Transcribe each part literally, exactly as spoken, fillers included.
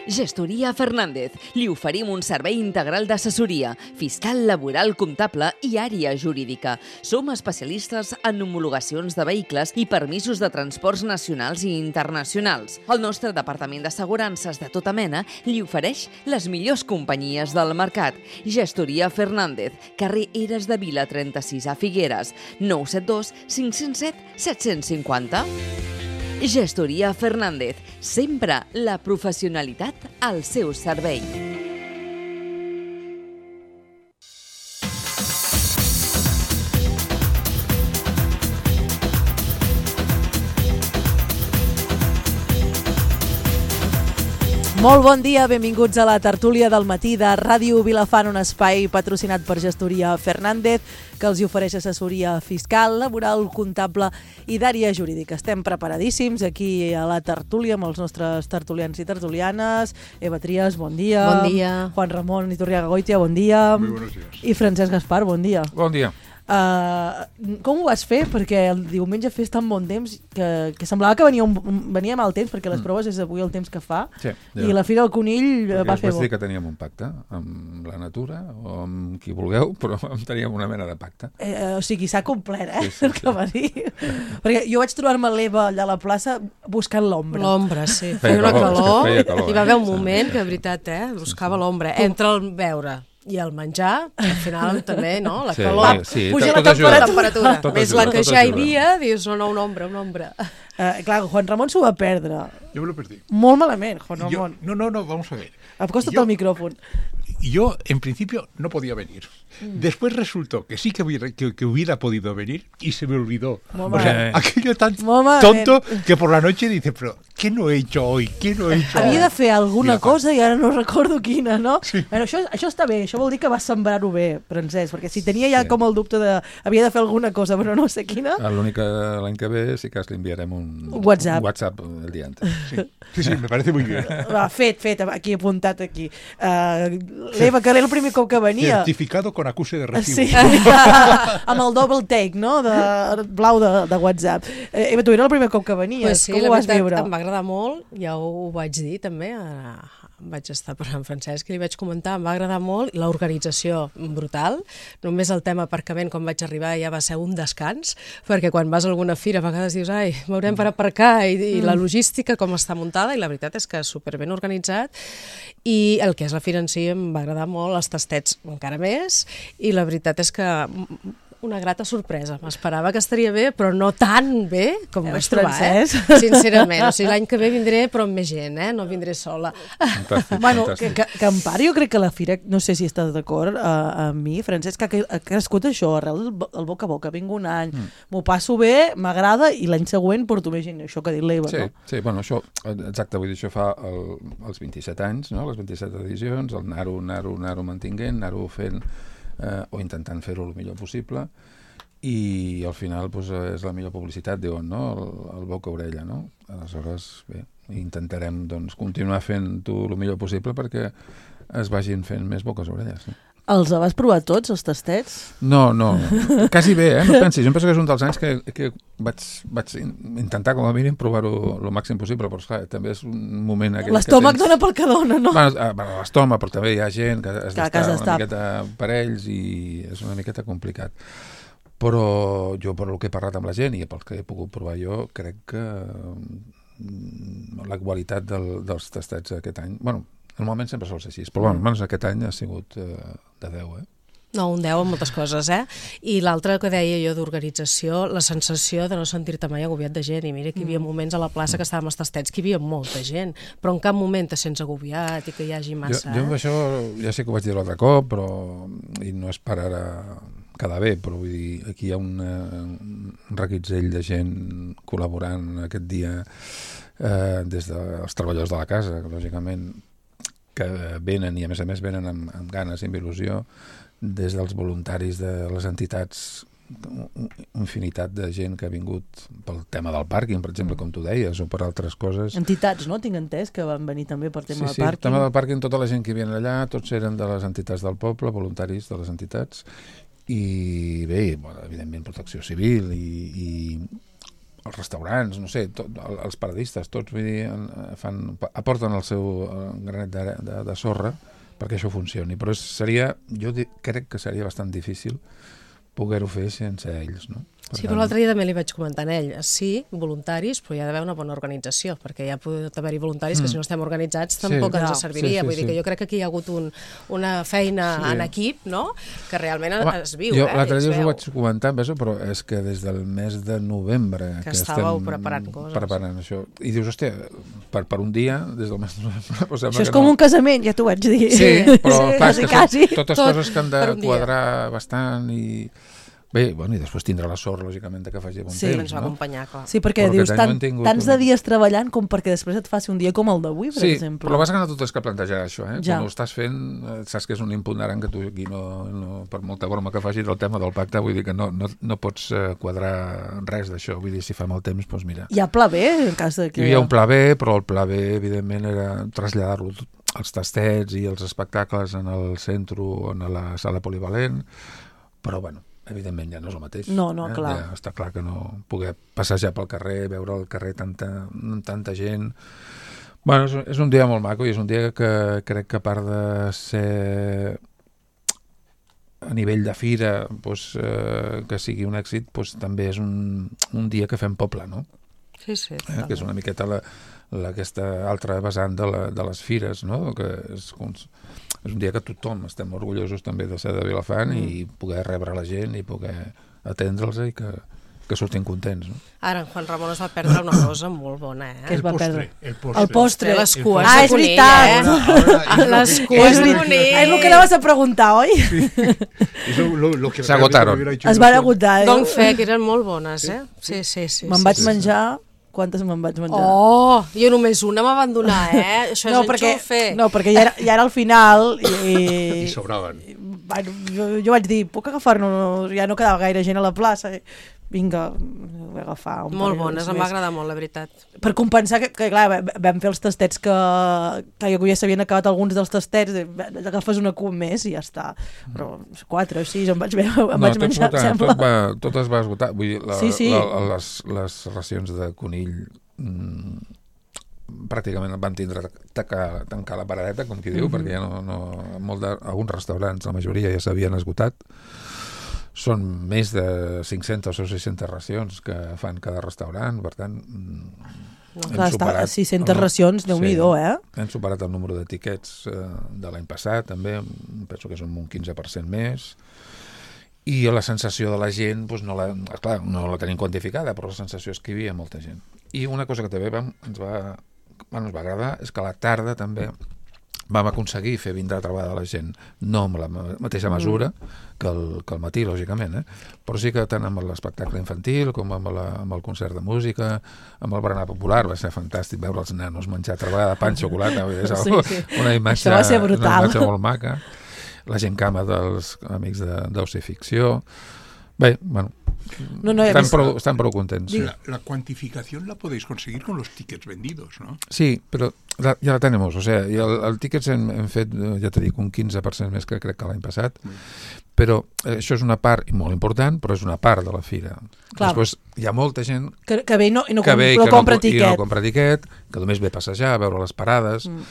Gestoria Fernández. Li oferim un servei integral d'assessoria, fiscal, laboral, comptable i àrea jurídica. Som especialistes en homologacions de vehicles i permisos de transports nacionals i internacionals. El nostre departament d'assegurances de tota mena li ofereix les millors companyies del mercat. Gestoria Fernández, carrer Eres de Vila trenta-sis a Figueres, nou set dos cinc zero set set cinc zero. Gestoria Fernández, sempre la professionalitat al seu servei. Molt bon dia, benvinguts a la tertúlia del matí de Ràdio Vilafant, un espai patrocinat per Gestoria Fernández, que els ofereix assessoria fiscal, laboral, comptable i d'àrea jurídica. Estem preparadíssims aquí a la tertúlia amb els nostres tertulians i tertulianes. Eva Trias, bon dia. Bon dia. Juan Ramon Iturriaga Goitia, bon dia. Muy buenos días. I Francesc Gaspar, bon dia. Bon dia. Uh, com ho vas fer? Perquè el diumenge fes tan bon temps que, que semblava que venia, un, venia mal temps, perquè les mm. proves proves és avui el temps que fa. Sí, ja. I la Fira del Conill perquè va fer bo. Vaig dir que teníem un pacte amb la natura o amb qui vulgueu, però teníem una mena de pacte. Eh, o sigui, s'ha complert, eh? Sí, sí, el que va dir. Perquè jo vaig trobar-me l'Eva allà a la plaça buscant l'ombra. L'ombra, sí. Feia Feia una calor, calor. és que feia calor, Hi va haver un eh? moment Sí, que, sí. de veritat, eh, buscava l'ombra. Entre el beure i el menjar, al final també, no? La Sí, calor. sí, puja tot- la tot ajuda. La temperatura. Tot Més ajuda, la que tot ja hi ajuda. havia, dius, no, no, una ombra, una ombra. Eh, clar, Juan Ramon s'ho va perdre. Yo me lo perdí. Molt malament, Juan Yo- Ramon. no, no, no, vamos a ver. Acosta't Yo- al micròfon. Yo, en principio, no podía venir. Después resultó que sí que hubiera, que, que hubiera podido venir y se me olvidó. Molt O sea, malament. aquello tan Molt malament. tonto que por la noche dice, pero ¿qué no he hecho hoy? ¿Qué no he hecho hoy? Havia de fer alguna I agafar. cosa i ara no recordo quina, no? Sí. Bueno, això, això està bé, això vol dir que vas sembrar-ho bé, Francesc, perquè si tenia ja Sí. com el dubte de... Havia de fer alguna cosa, però no sé quina... L'únic que l'any que ve sí que li enviarem un, Un WhatsApp. un WhatsApp el dia antes. Sí, sí, sí, me parece muy bien. Va, fet, fet, aquí apuntat aquí. Uh, L'Eva, que era el primer cop que venia... Certificado con acuse de recibo. Sí, amb el double take, no?, de blau de, de WhatsApp. Eh, Eva, tu era el primer cop que venies, Pues sí, com la ho vas veritat, viure? em va agradar molt, ja ho vaig dir també, a, vaig estar parlant amb Francesc i li vaig comentar, em va agradar molt, l'organització brutal, només el tema aparcament quan vaig arribar ja va ser un descans, perquè quan vas a alguna fira a vegades dius, ai, m'haurem per aparcar, i, i la logística com està muntada, i la veritat és que superben organitzat, i el que és la fira en si em va agradar molt, els tastets encara més, i la veritat és que una grata sorpresa. M'esperava que estaria bé, però no tan bé com ho vaig trobar, eh? Francesc. Sincerament. O sigui, l'any que ve vindré, però amb més gent, eh? No vindré sola. Fantàstic, Bueno, que, fantàstic. que, que en part jo crec que la fira, no sé si estàs d'acord uh, amb mi, Francesc, que ha crescut això, arrel del el boca a boca, vinc un any, Mm. m'ho passo bé, m'agrada, i l'any següent porto més gent, això que ha dit l'Eva, Sí, no? sí, bueno, això, exacte, vull dir, això fa el, els vint-i-set anys, no? Les vint-i-set edicions, el anar-ho, anar-ho, anar-ho mantinguent, anar-ho fent, eh, o intentant fer-ho el millor possible, i al final doncs, és la millor publicitat, diuen, no? El, el boca-orella, no? Aleshores, bé, intentarem doncs, continuar fent-ho el millor possible perquè es vagin fent més boques-orelles. No? Els vas provar tots, els tastets? No, no, quasi bé, eh? No pensis, jo em penso que és un dels anys que, que vaig, vaig intentar com a mínim provar-ho el màxim possible, però esclar, també és un moment aquell L'estómac que tens... dona pel que dona, no? Bueno, eh, bueno, l'estómac, però també hi ha gent que has Clar, que has d'estar d'estar. una miqueta per ells i és una miqueta complicat. Però jo, per el que he parlat amb la gent i pel que he pogut provar jo, crec que mm, la qualitat del, dels tastets aquest any... Bueno, normalment sempre sol ser així, però bueno, almenys aquest any ha sigut eh, de deu, eh? No, un deu amb moltes coses, eh? I l'altre que deia jo d'organització, la sensació de no sentir-te mai agobiat de gent. I mira que hi havia moments a la plaça que estàvem als tastets que hi havia molta gent, però en cap moment te sents agobiat i que hi hagi massa, jo, jo amb eh? això ja sé que ho vaig dir l'altre cop, però i no és per ara quedar bé, però vull dir, aquí hi ha una, un reguitzell de gent col·laborant aquest dia eh, des dels treballadors de la casa, lògicament, que venen i a més a més venen amb, amb ganes i amb il·lusió, des dels voluntaris de les entitats, infinitat de gent que ha vingut pel tema del pàrquing, per exemple, com tu deies, o per altres coses. Entitats, no? Tinc entès que van venir també per tema Sí, de sí, el pàrquing. tema del pàrquing, tota la gent que hi havia allà, tots eren de les entitats del poble, voluntaris de les entitats, i bé, bueno, evidentment protecció civil i, i els restaurants, no sé, tot, els paradistes, tots vull dir, fan, aporten el seu granet de, de, de sorra perquè això funcioni, però seria, jo crec que seria bastant difícil poder-ho fer sense ells, no? Per Sí, tant... però l'altre dia també li vaig comentar a ell, sí, voluntaris, però hi ha d'haver una bona organització, perquè hi ha pot haver-hi voluntaris mm. que si no estem organitzats tampoc sí, ens no. serviria, sí, sí, vull dir sí. que jo crec que aquí hi ha hagut un, una feina sí. en equip, no?, que realment Home, es viu, jo, eh? L'altre dia us ho veu. vaig comentar, però és que des del mes de novembre que, que estàveu estem preparant coses. preparant això, i dius, hòstia, per, per un dia, des del mes de novembre... Pues això és com no. un casament, ja t'ho vaig dir. Sí, però sí, clar, quasi, que quasi. són totes Tot coses que han de per un dia. quadrar bastant i... Bé, bueno, i després tindrà la sort, lògicament, que faci bon Sí, temps, ens va no? acompanyar, clar. Sí, perquè Però dius, aquest any tant, no hem tingut tants un- de dies treballant com perquè després et faci un dia com el d'avui, per Sí, exemple. però el bàsic no tot és que plantejar això, eh? Ja. Quan ho estàs fent, eh, saps que és un imponderant que tu aquí no, no, per molta broma que facis del tema del pacte, vull dir que no, no, no pots eh, quadrar res d'això, vull dir, si fa mal temps, doncs mira. Hi ha pla B, en cas de que... Hi havia un pla B, però el pla B, evidentment, era traslladar-lo als tastets i els espectacles en el centre o en la sala polivalent, però, bueno, evidentment ja no és el mateix. No, no, eh? clar. Ja està clar que no poder passejar pel carrer, veure al carrer tanta, tanta gent... Bueno, és, és un dia molt maco i és un dia que crec que a part de ser a nivell de fira doncs, eh, que sigui un èxit, doncs, també és un, un dia que fem poble, no? Sí, sí. Eh? Que és una miqueta la, la, aquesta altra vessant de, la, de les fires, no? Que és, és un dia que tothom estem orgullosos també de ser de Vilafant mm. i poder rebre la gent i poder atendre'ls i que, que surtin contents, no? Ara, en Juan Ramon es va perdre una cosa molt bona, eh? Que es va perdre? El postre. El postre. Les cues Ah, de és conill, veritat. eh? Ahora, ahora, Les es lo que- cues És, de ver- conill. és el que anaves a preguntar, oi? es lo- lo- lo que S'agotaron. realmente hubiera hecho Es van ilusión. agotar. eh? Don fe, que eren molt bones, eh? Sí, sí, sí. Me'n sí, vaig sí. menjar... Quantes me'n vaig menjar? Oh, jo només una m'avan donar, eh? Això és no, perquè, enxufe. no, perquè ja era, ja era al final i... Y sobraban. Bueno, jo, jo vaig dir, puc agafar-ne? No, ja no quedava gaire gent a la plaça. Vinga, vull agafar un Molt parell bones, em més. va agradar molt, la veritat. Per compensar que, que clar, vam fer els tastets que, que ja s'havien acabat alguns dels tastets, agafes una cua més i ja està. Però quatre o sis em vaig, em No, vaig tot, menjar, tot, sembla. tot, va, tot es va esgotar. Vull dir, la, Sí, sí. La, les, les racions de conill mm, pràcticament van tindre tancar, tancar la paradeta, com qui diu, Mhm. perquè ja no, no, molt de, alguns restaurants, la majoria ja s'havien esgotat. Són més de cinc-centes o sis-centes racions que fan cada restaurant, per tant... mm, No, hem clar, està superat a sis-centes el- racions, Déu-n'hi-do, eh? Hem superat el número d'etiquets eh, de l'any passat, també, penso que són un quinze per cent més, i la sensació de la gent, doncs no, la, clar, no la tenim quantificada, però la sensació és que hi havia molta gent. I una cosa que també vam, ens, va, bueno, ens va agradar és que a la tarda també vam aconseguir fer vindre a treballar la gent, no amb la mateixa mesura que el, que el matí, lògicament, eh? Però sí que tant amb l'espectacle infantil com amb, la, amb el concert de música, amb el berenar popular, va ser fantàstic veure els nanos menjar treballar de pa amb xocolata, és Sí, sí. una imatge, Això va ser brutal. una imatge molt maca. La gent cama dels amics d'Oci Ficció. Bé, bueno, No, no, ja estan, vis- prou, estan prou contents. Sí. La, la cuantificación la podéis conseguir con los tickets vendidos, ¿no? Sí, però la, ja la tenemos, o sea, i el, el tickets hem, hem fet, eh, ja t'he dit, un quinze per cent més que crec que l'any passat, però eh, això és una part i molt important, però és una part de la fira. Clar. Després hi ha molta gent Que, que ve i no, i no, que com, ve i no que no, compra i tiquet. no compra tiquet, que només ve a passejar, a veure les parades. Mm.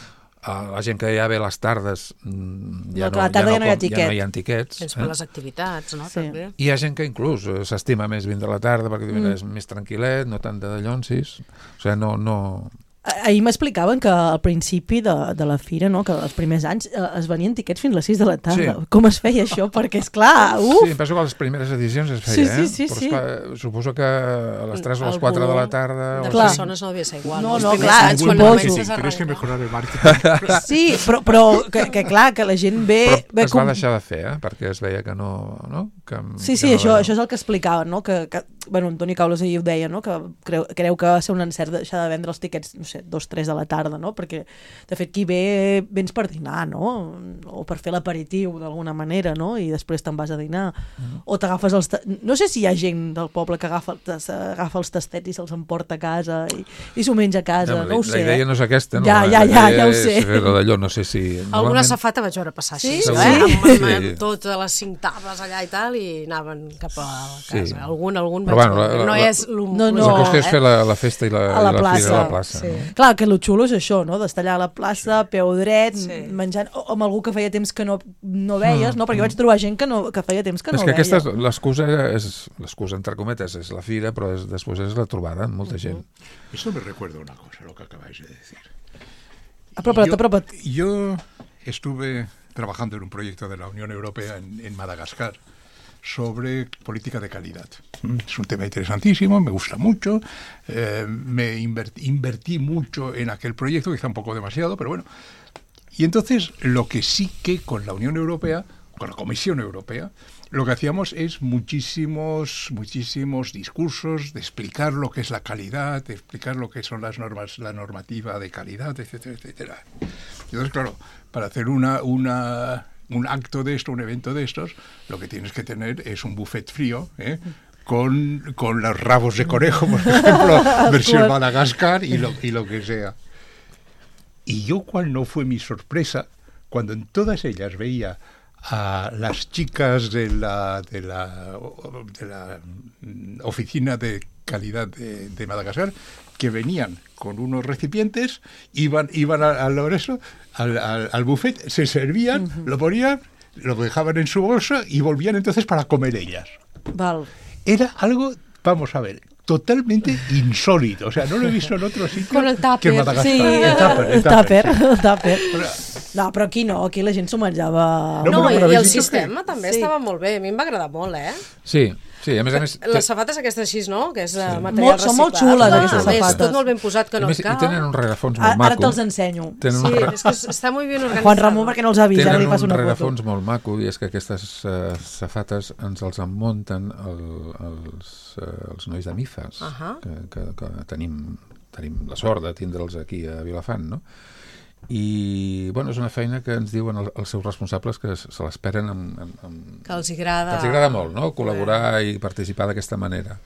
Uh, la gent que ja ve a les tardes mm, ja No, que a la tarda ja no hi ha com- tiquet. ja no hi ha tiquets. Tens per les activitats, no? Sí. També. Hi ha gent que inclús eh, s'estima més vindre a la tarda perquè diu, mira, Mm. és més tranquil·let, no tant de dallonsis. O sigui, no... no... Ah- Ahir m'explicaven que al principi de, de la fira, no, que els primers anys eh, es venien tiquets fins a les sis de la tarda. Sí. Com es feia això? Perquè, és clar, uf! Sí, em penso que a les primeres edicions es feia, Sí, sí, eh? sí, Però sí. esclar, suposo que a les tres o El les quatre de la volum tarda... De o Clar. així. persones no devia ser igual. No, Els no, primers clar, anys, quan suposo. comences a Tienes que arrencar. mejorar el marketing. Sí, però, però que, que clar, que la gent ve... Però ve es va deixar de fer, eh? Perquè es veia que no... no? Que, Sí, que sí, no això, era- això és el que explicaven, no? Que, que, bueno, Antoni Caules ahir ho deia, no? Que creu, creu que va ser un encert deixar de vendre els tiquets, no sé, dos, tres de la tarda, no? Perquè, de fet, qui ve, vens per dinar, no? O per fer l'aperitiu, d'alguna manera, no? I després te'n vas a dinar. Mm. O t'agafes els... No sé si hi ha gent del poble que agafa, agafa els tastets i se'ls emporta a casa i, i s'ho menja a casa, no, no ho sé. La idea no és aquesta, no? Ja, ja, ja, ja ho sé. D'allò, no sé si... Alguna safata vaig veure passar així, sí? eh? Sí? Amb, amb, amb Sí. totes les cinc taves allà i tal, i anaven cap a la casa. Sí. Algun, algun Però vaig bueno, veure. la- No la- és lo, No, lo no. La qüestió és eh? fer la, la festa i la, A la i la plaça. fira a la plaça. Sí. No? Clar, que lo xulo és això, no? D'estar allà a la plaça, peu dret, Sí. menjant, o amb algú que feia temps que no, no veies, no? Perquè vaig trobar gent que, no, que feia temps que És no que veia. aquesta és l'excusa, és l'excusa entre cometes, és la fira, però és, després és la trobada amb molta gent. Esto me recuerda una cosa, lo que acabáis de decir. Apropa't, yo, apropa't. yo estuve trabajando en un proyecto de la Unión Europea en, en Madagascar sobre política de calidad. Es un tema interesantísimo, me gusta mucho, eh, me invertí, invertí mucho en aquel proyecto, quizá un poco demasiado, pero bueno. Y entonces lo que sí que con la Unión Europea, con la Comisión Europea, lo que hacíamos es muchísimos, muchísimos discursos de explicar lo que es la calidad, de explicar lo que son las normas, la normativa de calidad, etcétera, etcétera. Entonces, claro, para hacer una, una, un acto de esto, un evento de estos, lo que tienes que tener es un buffet frío, ¿eh? con, con los rabos de conejo, por ejemplo, versión Madagascar y lo, y lo que sea. Y yo, cuál no fue mi sorpresa, cuando en todas ellas veía a las chicas de la, de la, de la oficina de calidad de, de Madagascar, que venían con unos recipientes, iban, iban al, al, eso, al, al, al buffet, se servían, uh-huh. lo ponían, lo dejaban en su bolsa y volvían entonces para comer ellas. Val. Era algo, vamos a ver, totalmente insólito. O sea, no lo he visto en otro sitio Con el tupper. que en Madagascar. Sí, el tupper, el el tupper, tàper, sí. el tàper. Però- No, però aquí no, aquí la gent s'ho menjava... No, No, però- i, però i el habéis dicho sistema que- també Sí. estava molt bé. A mi em va agradar molt, eh? Sí, sí, a més a més... Les safates aquestes així, no? Que és sí. material Molt- reciclat. són molt xules, Ah, aquestes és safates. tot molt ben posat, que a no més, et i cau. tenen un rerefons molt Ara, ara maco. te'ls ensenyo. Tenen Sí, un, re... és que està molt ben organitzat. Juan Ramon, perquè no els ha vist, ara tenen li passo un una foto. rerefons molt maco, i és que aquestes uh, safates ens els emmunten el, els, uh, els nois de Mifas, Ahà. que, que, que tenim, tenim la sort de tindre'ls aquí a Vilafant, no? I, bueno, és una feina que ens diuen el, els seus responsables que se, se l'esperen amb, amb, amb... Que els agrada... Que els agrada molt, no?, col·laborar i participar d'aquesta manera.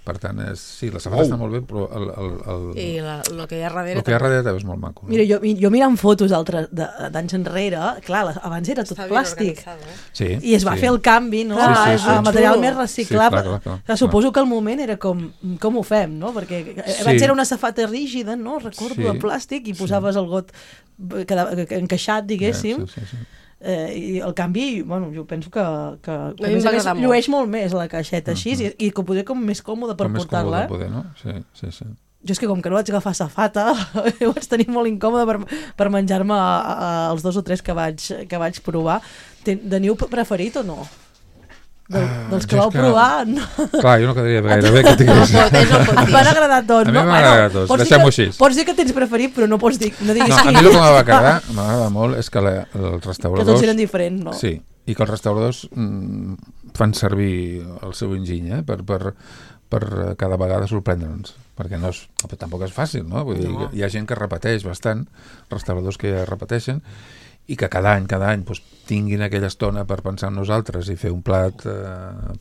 Per tant, és, sí, la safata Oh. està molt bé, però el, el, el, I la, el que hi ha darrere... el que hi ha darrere també és molt maco. No? Mira, jo, jo mirant fotos d'altres de- d'anys enrere, clar, la- abans era tot Està ben plàstic. organitzada, eh? Sí, I es va sí. fer el canvi, no? Sí, sí, a, sí. a material Xulo. més reciclable. Sí, clar, clar, clar. Clar, suposo que al moment era com, com ho fem, no? Perquè Sí. abans era una safata rígida, no? Recordo, Sí. de plàstic, i posaves el got quedava, encaixat, diguéssim. Sí, sí, sí. Eh, I el canvi, bueno, jo penso que, que, que mi a més em va a més agradar molt. llueix molt més la caixeta així, i, i que poder com més còmode per Com més portar-la. còmode Eh? poder, no? Sí, sí, sí. Jo és que com que no vaig agafar safata, ho vaig tenir molt incòmode per, per menjar-me a- a- els dos o tres que vaig, que vaig provar. Ten, teniu preferit o no? Del, Ah, dels que jo és vau que- provar, no. Clar, jo no quedaria gaire bé que tingués... No pot, és el pot Em dir. van agradar tots, A mi no? m'han agradat tots, pots dir deixem-ho que- així. Pots dir que tens preferit, però no pots dir, no diguis No, a mi el que m'ha agradar, m'agrada molt, és que la, els que restauradors... tots eren diferents, no? Sí, i que els restauradors mm, fan servir el seu enginy, eh, per, per, per eh, cada vegada sorprendre'ns, perquè no és, tampoc és fàcil, no? Vull dir, No. hi ha gent que repeteix bastant, restauradors que ja repeteixen, i que cada any, cada any, doncs, tinguin aquella estona per pensar en nosaltres i fer un plat eh,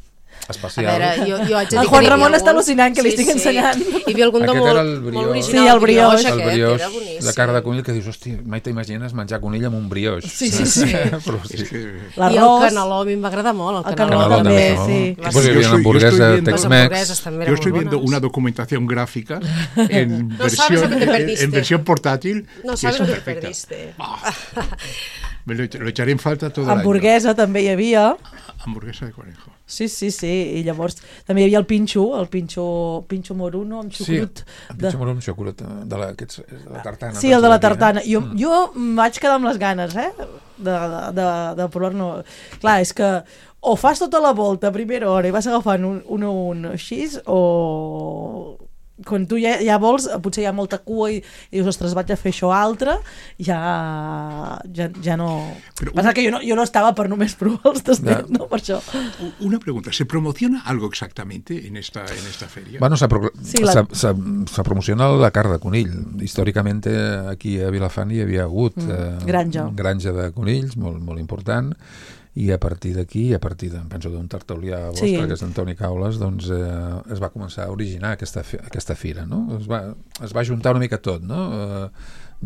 A especial. veure, jo, jo haig de El dir Juan que n'hi havia Ramon està algun- al·lucinant, que li estic ensenyant. Hi havia algun de Aquest molt, era el brioix. molt original. Sí, el brioix. El aquest, brioix era boníssim. de carn de conill, que dius, hòstia, mai t'imagines menjar conill amb un brioix. Sí, sí, sí. Però sí. Es que, I el L'arròs, caneló a mi em va agradar molt. El El caneló, caneló també, també. sí. I Va pues, ser- hi havia Yo una soy- yo hamburguesa estoy viendo- Les Tex-Mex. hamburgueses també yo eren estoy molt viendo bones. una documentación gráfica en, No sabes versión, lo que te en, perdiste. en versión portátil. No y sabes es lo que perfecta. perdiste. Ah, me lo, lo echaré en falta todo el año. hamburguesa també hi havia. Hamburguesa de conejo. Sí, sí, sí, i llavors també hi havia el pinxo, el pinxo, pinxo moruno amb Sí, xucrut. el pitjor morum xocolata de la, aquests, de la tartana. Sí, el de la penso que tartana. aquí, Jo, eh? jo em vaig quedar amb les ganes, eh? De, de, de, de provar-ne. Clar, és que o fas tota la volta a primera hora i vas agafant un, un a un així, o... quan tu ja, ja vols, potser hi ha molta cua i, i dius, ostres, vaig a fer això altre, ja, ja, ja no... Però passa una... que jo no, jo no estava per només provar els tastets, no. no, per això. Una pregunta, ¿se promociona algo exactamente en esta, en esta feria? Bueno, se, pro... sí, la... se, se, se promociona la carn de conill. Històricament aquí a Vilafant hi havia hagut mm. eh, granja. granja de conills, molt, molt important, i a partir d'aquí, a partir de, penso d'un tertulià vostre, sí. que és Antoni Caules, doncs eh, es va començar a originar aquesta, aquesta fira, no? Es va, es va juntar una mica tot, no? Eh,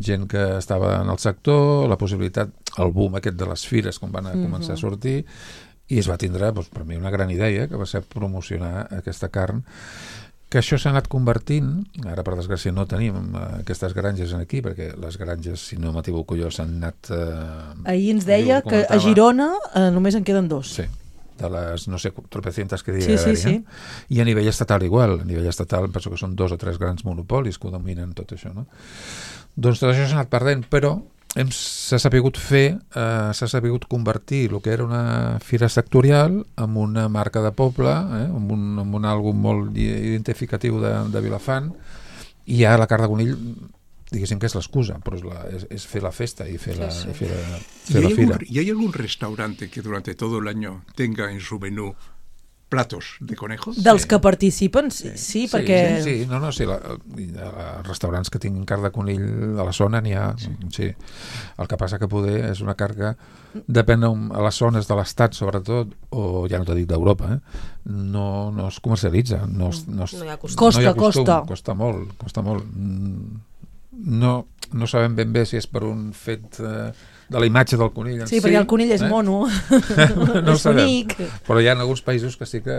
gent que estava en el sector, la possibilitat, el boom aquest de les fires, quan van a començar mm-hmm. a sortir, i es va tindre, doncs, per mi, una gran idea, que va ser promocionar aquesta carn, que això s'ha anat convertint, ara per desgràcia no tenim aquestes granges aquí, perquè les granges, si no m'equivoco jo, s'han anat... Eh, Ahir ens deia que a Girona eh, només en queden dos. Sí, de les, no sé, tropecientas que sí, diria sí, sí. eh? I a nivell estatal igual, a nivell estatal penso que són dos o tres grans monopolis que ho dominen tot això, no? Doncs tot això s'ha anat perdent, però hem, s'ha sapigut fer, eh, s'ha sapigut convertir el que era una fira sectorial en una marca de poble, eh, amb un, amb un àlbum molt identificatiu de, de Vilafant, i ja la carn de conill, diguéssim que és l'excusa, però és, la, és, és fer la festa i fer la, sí, sí. Fer la, fer la fira. ¿Y hay algún restaurante que durante todo el año tenga en su menú platos de conejos? Dels sí. que participen, sí, sí, sí perquè... Sí, sí, no, no, sí, la, els restaurants que tinguin carn de conill a la zona n'hi ha, sí. sí. El que passa que poder és una carn que depèn a les zones de l'estat, sobretot, o ja no t'ho dic d'Europa, eh? no, no es comercialitza, no, es, no, es, no hi ha costum. Costa, no hi ha costum, costa. Costa molt, costa molt. No, no sabem ben bé si és per un fet... Eh, de la imatge del conill en sí, sí. perquè el conill és eh? mono, no és bonic. Però hi ha alguns països que sí que,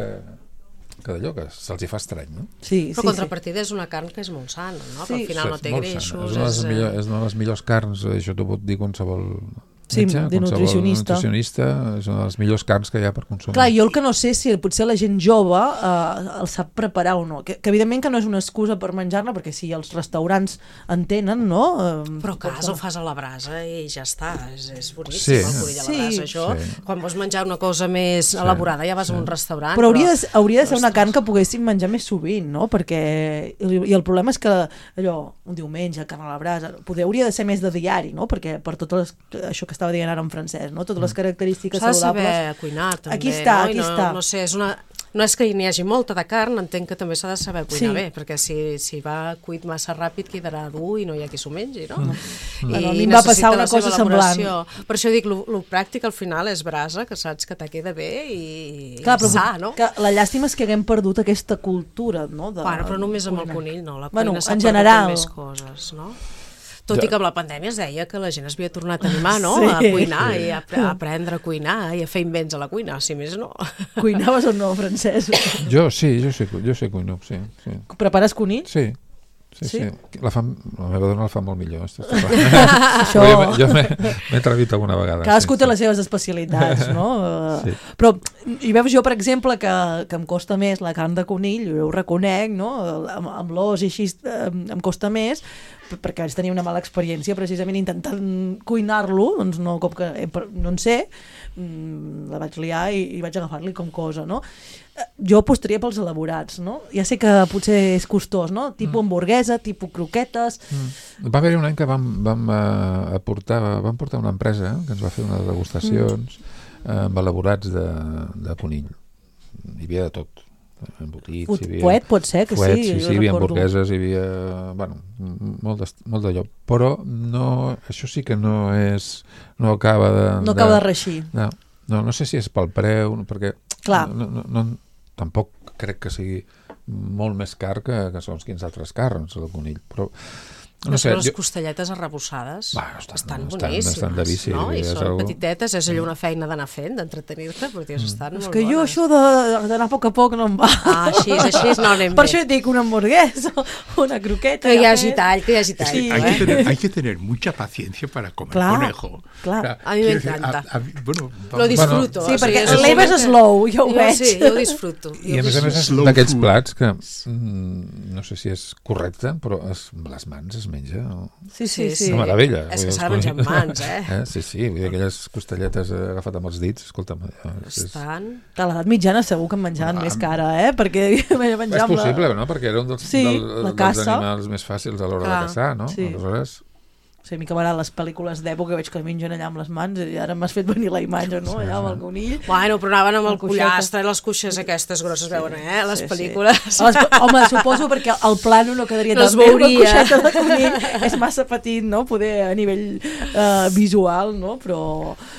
que d'allò, que se'ls hi fa estrany, no? Sí, però sí, contrapartida sí. és una carn que és molt sana, no? Sí. Que al final sí, no té greixos. És una, és, millor, és una de les millors carns, això t'ho pot dir qualsevol sí, metge, de nutricionista. nutricionista, és una de les millors carns que hi ha per consumir. Clar, jo el que no sé si potser la gent jove eh, el sap preparar o no, que, que evidentment que no és una excusa per menjar-la, perquè si els restaurants en tenen, no? Eh, però a casa ho fas a la brasa i ja està, és, és boníssim sí. el conill a la brasa, sí. això. Sí. Quan vols menjar una cosa més sí. elaborada ja vas sí. a un restaurant. Però hauria de, hauria de ser però una carn que poguéssim menjar més sovint, no? Perquè, i el problema és que allò, un diumenge, carn a la brasa, poder, hauria de ser més de diari, no? Perquè per tot les, això que estava dient ara en francès, no? Totes les característiques saludables. S'ha de saludables. saber cuinar, també. Aquí està, no? aquí no, està. No sé, és una... No és que n'hi hagi molta de carn, entenc que també s'ha de saber cuinar sí. bé, perquè si, si va cuit massa ràpid quedarà dur i no hi ha qui s'ho mengi, no? Mm. I bueno, a mi em va passar una cosa semblant. Per això dic, el pràctic al final és brasa, que saps que te queda bé i clar, però sa, no? Que la llàstima és que haguem perdut aquesta cultura, no? De, bueno, però només amb el conill, no? La bueno, cuina s'ha en perdut general. més coses, no? Tot ja. I que amb la pandèmia es deia que la gent es havia tornat a animar, no? Sí. A cuinar sí. i a, a aprendre a cuinar i a fer invents a la cuina, si més no. Cuinaves o no, Francesc? Jo sí, jo sé, jo sé cuino, sí, sí. Prepares conill? Sí. Sí, sí, sí. La, fa, la meva dona la fa molt millor. Això... Jo, jo m'he atrevit alguna vegada. Cadascú sí, té sí. les seves especialitats, no? Sí. Però hi veus jo, per exemple, que, que em costa més la carn de conill, jo ho reconec, no? Amb, amb l'os i així em costa més, perquè vaig tenir una mala experiència precisament intentant cuinar-lo, doncs no, com que no en sé, la vaig liar i, i vaig agafar-li com cosa, no? Jo apostaria pels elaborats, no? Ja sé que potser és costós, no? Tipus mm. hamburguesa, tipus croquetes... Mm. Va haver un any que vam, vam, uh, aportar, vam portar una empresa que ens va fer unes degustacions mm. amb elaborats de, de conill. Hi havia de tot. Embotits, Put, hi havia... Poet pot ser, que Poet, sí, sí, jo sí, hi havia recordo. hamburgueses, hi havia... Bueno, molt de, molt de lloc. Però no, això sí que no és... No acaba de... No acaba de, de reixir. No, no, no sé si és pel preu, perquè... Clar. No, no, no, tampoc crec que sigui molt més car que, que són quins altres carns, el conill, però... No sé, les jo... costelletes arrebossades bah, estan, estan estan, boníssimes, estan de vici, no? I són algú... petitetes, és allò una feina d'anar fent, d'entretenir-te, però dius, estan mm. molt És que bones. jo això d'anar a poc a poc no em va. Ah, així, així no anem Per bé. això et dic una hamburguesa, una croqueta... Que hi hagi tall, que hi hagi tall. Sí, hay, eh? que tener, hay que tener mucha paciencia para comer clar, conejo. Clar. O sea, a mi m'encanta. Bueno, lo disfruto. Sí, o sigui, perquè l'Eva és slow, jo ho veig. Sí, jo ho disfruto. I a més a més és d'aquests plats que mm, no sé si és correcte, però es, les mans es menja. Sí, sí, sí. Una meravella. És que s'ha de menjar amb mans, eh? eh? Sí, sí, vull dir, aquelles costelletes agafat amb els dits, escolta'm. Estan... De l'edat mitjana segur que en menjaven Ah, més que ara, eh? Perquè menjar és amb possible, la... no? Perquè era un dels, Sí, del, la dels caça. animals més fàcils a l'hora Clar, de caçar, no? sí. Aleshores... O sigui, a mi que m'agraden les pel·lícules d'època, veig que mengen allà amb les mans i ara m'has fet venir la imatge, no? Allà amb el conill. Bueno, però anaven amb el La cuixeta. pollastre i les cuixes aquestes grosses, veuen, eh? Les Sí, pel·lícules. Sí. Les, home, suposo perquè el plano no quedaria No es tan bé, una veuria. cuixeta de conill és massa petit, no? Poder a nivell uh, visual, no? Però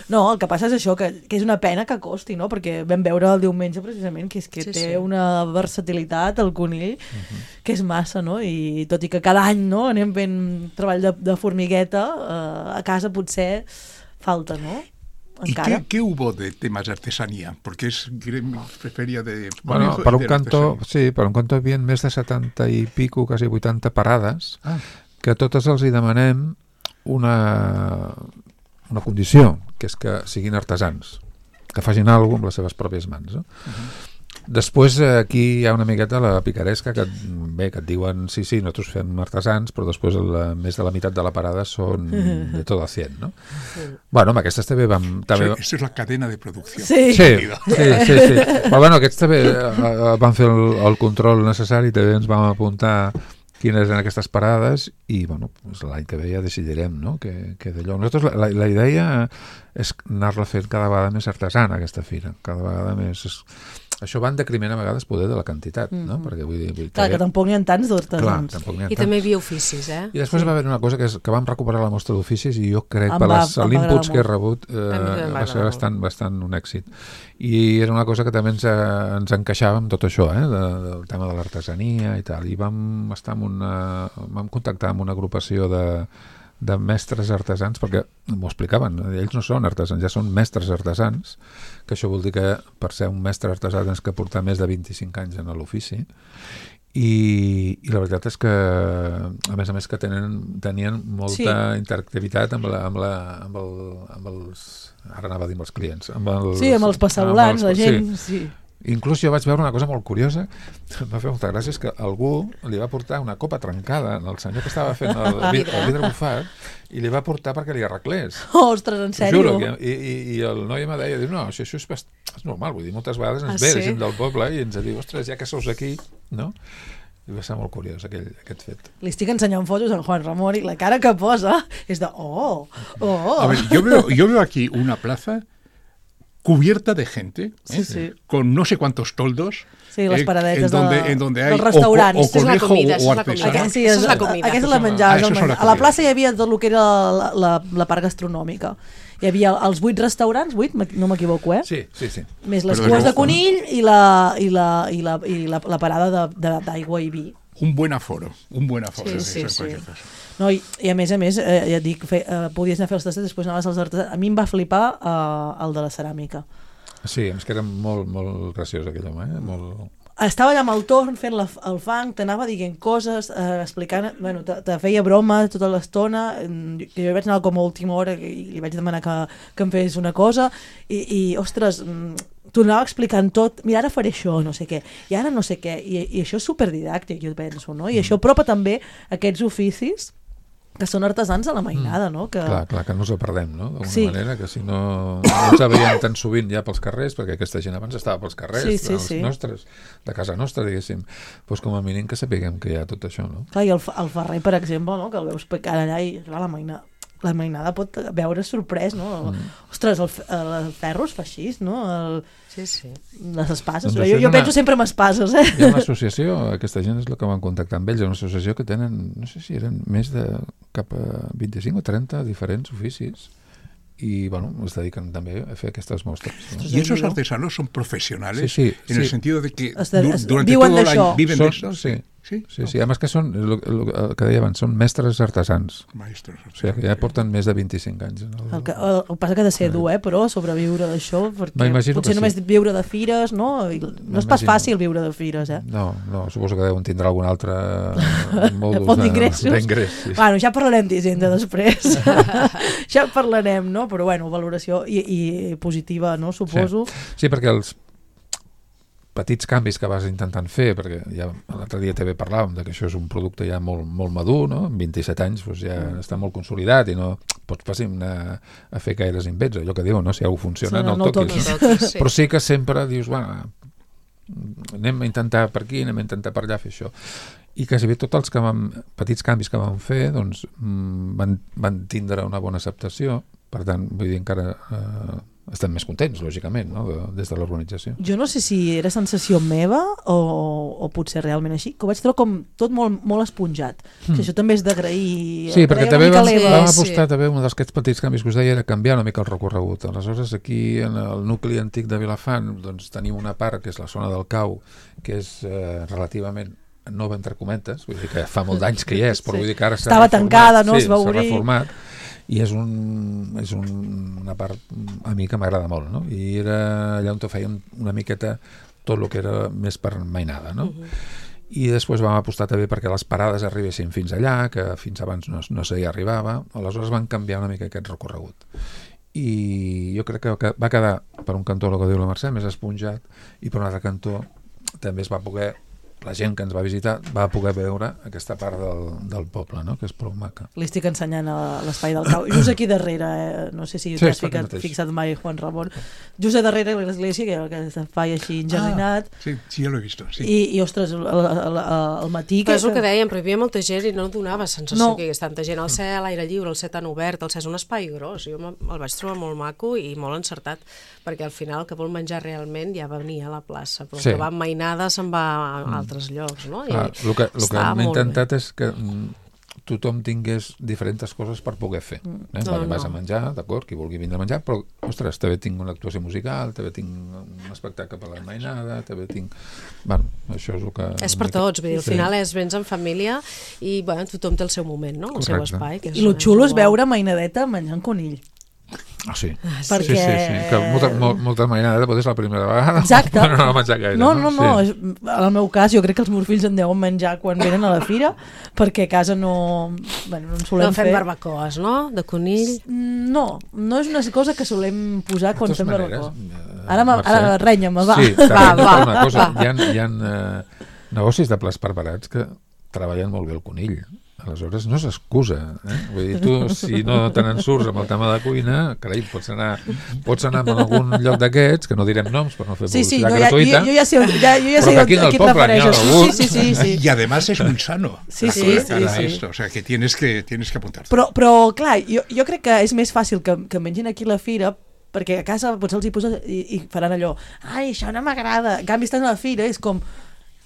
no, el que passa és això, que, que és una pena que costi, no? Perquè vam veure el diumenge precisament que és que Sí, té sí. una versatilitat el conill uh-huh. que és massa, no? I tot i que cada any, no? Anem fent treball de, de formigueta, uh, a casa potser falta, ¿no? ¿Y Encara. qué, qué hubo de temas de artesanía? Porque es gremio, feria de... Bueno, manejo per de un canto, artesanía. sí, per un canto hi havia més de setanta i pico, quasi vuitanta parades, Ah. que totes els hi demanem una, una condició, que és que siguin artesans, que facin alguna cosa amb les seves pròpies mans. No? Uh-huh. Després aquí hi ha una miqueta la picaresca que, bé, que et diuen sí, sí, nosaltres fem artesans, però després la, més de la meitat de la parada són de tot a cien, no? Sí. Bueno, amb aquestes també vam... També... Eso, eso es la cadena de producción. Sí. Sí, sí, sí, sí. Però bueno, aquests també eh, van fer el, el control necessari, també ens vam apuntar quines eren aquestes parades i bueno, doncs l'any que ve ja decidirem, no? que, que d'allò. Nosaltres la, la, la idea és anar-la fent cada vegada més artesana, aquesta fira, cada vegada més... És... Això va en decriment a vegades poder de la quantitat, mm-hmm. no? Perquè vull dir... Vull Clar, que tampoc n'hi ha tants d'artesans. I també hi havia oficis, eh? I després sí. va haver una cosa que, és, que vam recuperar la mostra d'oficis i jo crec Em per va- les em va l'inputs agradar que he molt. rebut eh, A mi també em va va ser agradar bastant, bastant un èxit. I era una cosa que també ens, eh, ens encaixava amb tot això, eh, de, del tema de l'artesania i tal. I vam estar amb una... vam contactar amb una agrupació de de mestres artesans, perquè m'ho explicaven, ells no són artesans, ja són mestres artesans, que això vol dir que per ser un mestre artesà tens que portar més de vint-i-cinc anys en l'ofici, i, i la veritat és que a més a més que tenen, tenien molta Sí. interactivitat amb, la, amb, la, amb, el, amb els ara anava a dir amb els clients amb els, Sí, amb els passavolants, amb els- la gent... sí. Sí. Inclús jo vaig veure una cosa molt curiosa, em va fer molta gràcia, és que algú li va portar una copa trencada al senyor que estava fent el, el, vidre, el vidre bufat i li va portar perquè li arreglés. Ostres, en T'ho sèrio? juro, que, i, i, i el noi em deia, diu, no, això, això és, bast... és normal, vull dir, moltes vegades ens Ah, ve sí? la gent del poble i ens diu, ostres, ja que sous aquí, no? I va ser molt curiós aquell, aquest fet. Li estic ensenyant fotos a en Juan Ramón i la cara que posa és de, oh, oh. A ver, yo veo, yo veo aquí una plaza cubierta de gente, Sí, ¿eh? sí. con no sé cuántos toldos, Sí, les eh, paradetes en donde, de- en donde dels hay o, restaurants. o Esta és la conejo comida, o esa és la artesano. comida. Aquest, sí, Això és, és la comida. aquesta és la Ah, menjar. això el és la menjar. A la comida. plaça hi havia tot el que era la, la, la part gastronòmica. Hi havia els vuit restaurants, vuit, no m'equivoco, eh? Sí, sí, sí. Més les Però cues de de conill i la, i la, i la, i la, la parada de- de- d'aigua i vi. Un buen aforo, un buen aforo. Sí, eso sí, en sí. cualquier caso. No, i, i a més a més, eh, ja et dic, fe, eh, podies anar a fer els tastos, després anaves als artesans. A mi em va flipar eh, el de la ceràmica. Sí, és que era molt, molt graciós aquell home, eh? Molt... Estava allà amb el torn fent la, el fang, t'anava dient coses, eh, explicant, bueno, te, te feia broma tota l'estona, mm, jo vaig anar com a última hora i li vaig demanar que, que em fes una cosa i, i ostres, mm, t'ho anava explicant tot, mira, ara faré això, no sé què, i ara no sé què, i, i això és superdidàctic, jo penso, no? I això apropa també aquests oficis que són artesans a la mainada, no? Que... Clar, clar, que no us ho perdem, no? D'alguna Sí. manera, que si no, no ens veiem tan sovint ja pels carrers, perquè aquesta gent abans estava pels carrers, Sí, sí, dels sí. nostres, de casa nostra, diguéssim. Doncs com a mínim que sapiguem que hi ha tot això, no? Clar, i el, el Ferrer, per exemple, no? Que el veus pecar allà i clar, la mainada, la mainada pot veure sorprès, no? Mm. Ostres, el, f- el ferro es fa així, no? El, Sí, sí. les espases. Doncs Jo, això és jo una- penso sempre en espases, eh? Hi ha una associació, aquesta gent és el que van contactar amb ells, una associació que tenen, no sé si eren més de cap a vint-i-cinc o trenta diferents oficis i, bueno, es dediquen també a fer aquestes mostres. No? Y esos artesanos son profesionales Sí, sí, en el sí. sentido de que Hasta- du- hasta- durante viuen todo el d'això. año viven Són- de eso. sí. Sí, Sí, sí, además que són, el, el, el que deia abans, són mestres artesans. Maestros. O sigui, que ja porten més de vint-i-cinc anys. En el... El que, el, el que passa que ha de ser dur, eh, però sobreviure d'això, perquè M'imagino potser que sí. només viure de fires, no? I no és pas M'imagino. fàcil viure de fires, eh? No, no, suposo que deuen tindre algun altre mòdul Font d'ingressos. d'ingrés. Sí. Bueno, ja parlarem d'Hisenda després. Ja parlarem, no? Però bueno, valoració i, i positiva, no? Suposo. Sí, perquè els... petits canvis que vas intentant fer, perquè ja l'altre dia també parlàvem de que això és un producte ja molt, molt madur, no? Amb vint-i-set anys doncs ja mm. està molt consolidat i no pots passi anar a fer gaires invents, allò que diuen, no? Si alguna funciona, sí, no, no el toquis. No toquis sí. Però sí que sempre dius, bueno, anem a intentar per aquí, anem a intentar per allà fer això. I quasi bé tots els que vam, petits canvis que vam fer doncs, van, van tindre una bona acceptació, per tant, vull dir, encara eh, estem més contents, lògicament, no? de, des de l'organització. Jo no sé si era sensació meva o, o potser realment així, que ho vaig trobar com tot molt, molt esponjat. Mm. Que això també és d'agrair. Sí, perquè també vam, vam apostar, sí. també, un d'aquests petits canvis que us deia era canviar una mica el recorregut. Aleshores, aquí, en el nucli antic de Vilafant, doncs, tenim una part que és la zona del Cau, que és eh, relativament nova entre cometes, vull dir que fa molt d'anys que hi és, però sí. vull dir que ara s'ha Estava reformat, tancada, no? Sí, es va obrir. S'ha reformat, i és, un, és un, una part a mi que m'agrada molt, no? I era allà on fèiem una miqueta tot el que era més per mainada, no? Uh-huh. I després vam apostar també perquè les parades arribessin fins allà, que fins abans no, no s'hi arribava, aleshores van canviar una mica aquest recorregut. I jo crec que va quedar, per un cantó, el que diu la Mercè, més esponjat, i per un altre cantó també es va poder, la gent que ens va visitar va poder veure aquesta part del, del poble, no? Que és prou maca. Li estic ensenyant a l'espai del Cau. Just aquí darrere, eh? No sé si sí, t'has ficat, fixat mai, Juan Ramon. Just a darrere l'església, que, que espai així enjardinat. Ah, sí, sí, ja l'he vist. Sí. I, I, ostres, al matí... Però és el que dèiem, però hi havia molta gent i no donava sensació no. que hi hagués tanta gent al cel, a l'aire lliure, el cel tan obert, el cel és un espai gros. Jo el vaig trobar molt maco i molt encertat, perquè al final el que vol menjar realment ja venia a la plaça, però sí. el que va amb mainada se'n va a altres llocs, no? Ah, el que, el que hem intentat bé. És que tothom tingués diferents coses per poder fer. Eh? No, Perquè no. vas a menjar, d'acord, qui vulgui vindre a menjar, però, ostres, també tinc una actuació musical, també tinc un espectacle per la mainada, també tinc... Bueno, això és el que... És per tots, vull dir, al final és vens en família i, bueno, tothom té el seu moment, no? El Correcte. seu espai. Que és, I el xulo és veure mainadeta menjant conill. Ah, sí. Ah, sí. Perquè... sí, sí, sí. Que molta, molt, molta mainada potser és la primera vegada. Exacte. No, no, no menjar gaire. No, no, no. Sí. En el meu cas, jo crec que els meus fills en deuen menjar quan venen a la fira, perquè a casa no... Bueno, no en solem no fem fer. barbacoes, no? De conill? No, no és una cosa que solem posar quan fem maneres, barbacoa. Ara, ara renya-me, va. Sí, va, va, una cosa. Hi ha, hi ha uh, negocis de plats preparats que treballen molt bé el conill. Aleshores no s'excusa, eh? Vull dir, tu si no te n'en surts amb el tema de cuina, carai, pots anar, pots anar a algun lloc d'aquests, que no direm noms per no fer sí, sí, publicitat no, gratuïta, jo, jo ja sé, ja, jo ja sé a qui et refereixes. Sí, sí, sí, sí. Y además es muy sano. Sí, sí, sí, sí. Esto, o sea, que tienes que, tienes que apuntarte. Però, però clar, jo, jo crec que és més fàcil que, que mengin aquí a la fira, perquè a casa potser els hi poses i, i faran allò, ai, això no m'agrada. En canvi, estan a la fira, és com...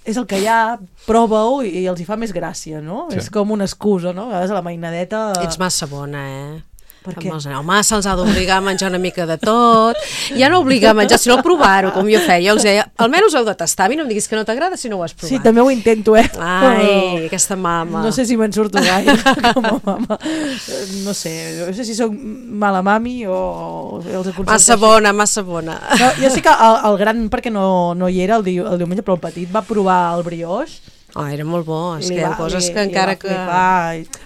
és el que hi ha, prova-ho i els hi fa més gràcia, no? Sí. És com una excusa, no? A vegades a la mainadeta... Ets massa bona, eh? Per què? Home, se'ls ha d'obligar a menjar una mica de tot. Ja no obligar a menjar, sinó a provar-ho, com jo feia. Jo els deia, almenys heu de tastar. A mi no em diguis que no t'agrada si no ho has provat. Sí, també ho intento, eh? Ai, aquesta mama. No sé si me'n surto gaire com a mama. No sé, no sé si soc mala mami o els aconsegueixo. Massa bona, massa bona. No, jo sí que el, el gran, perquè no, no hi era el, di, el diumenge, però el petit va provar el brioix. Oh, era molt bo, és li que hi ha va, coses li, que encara que...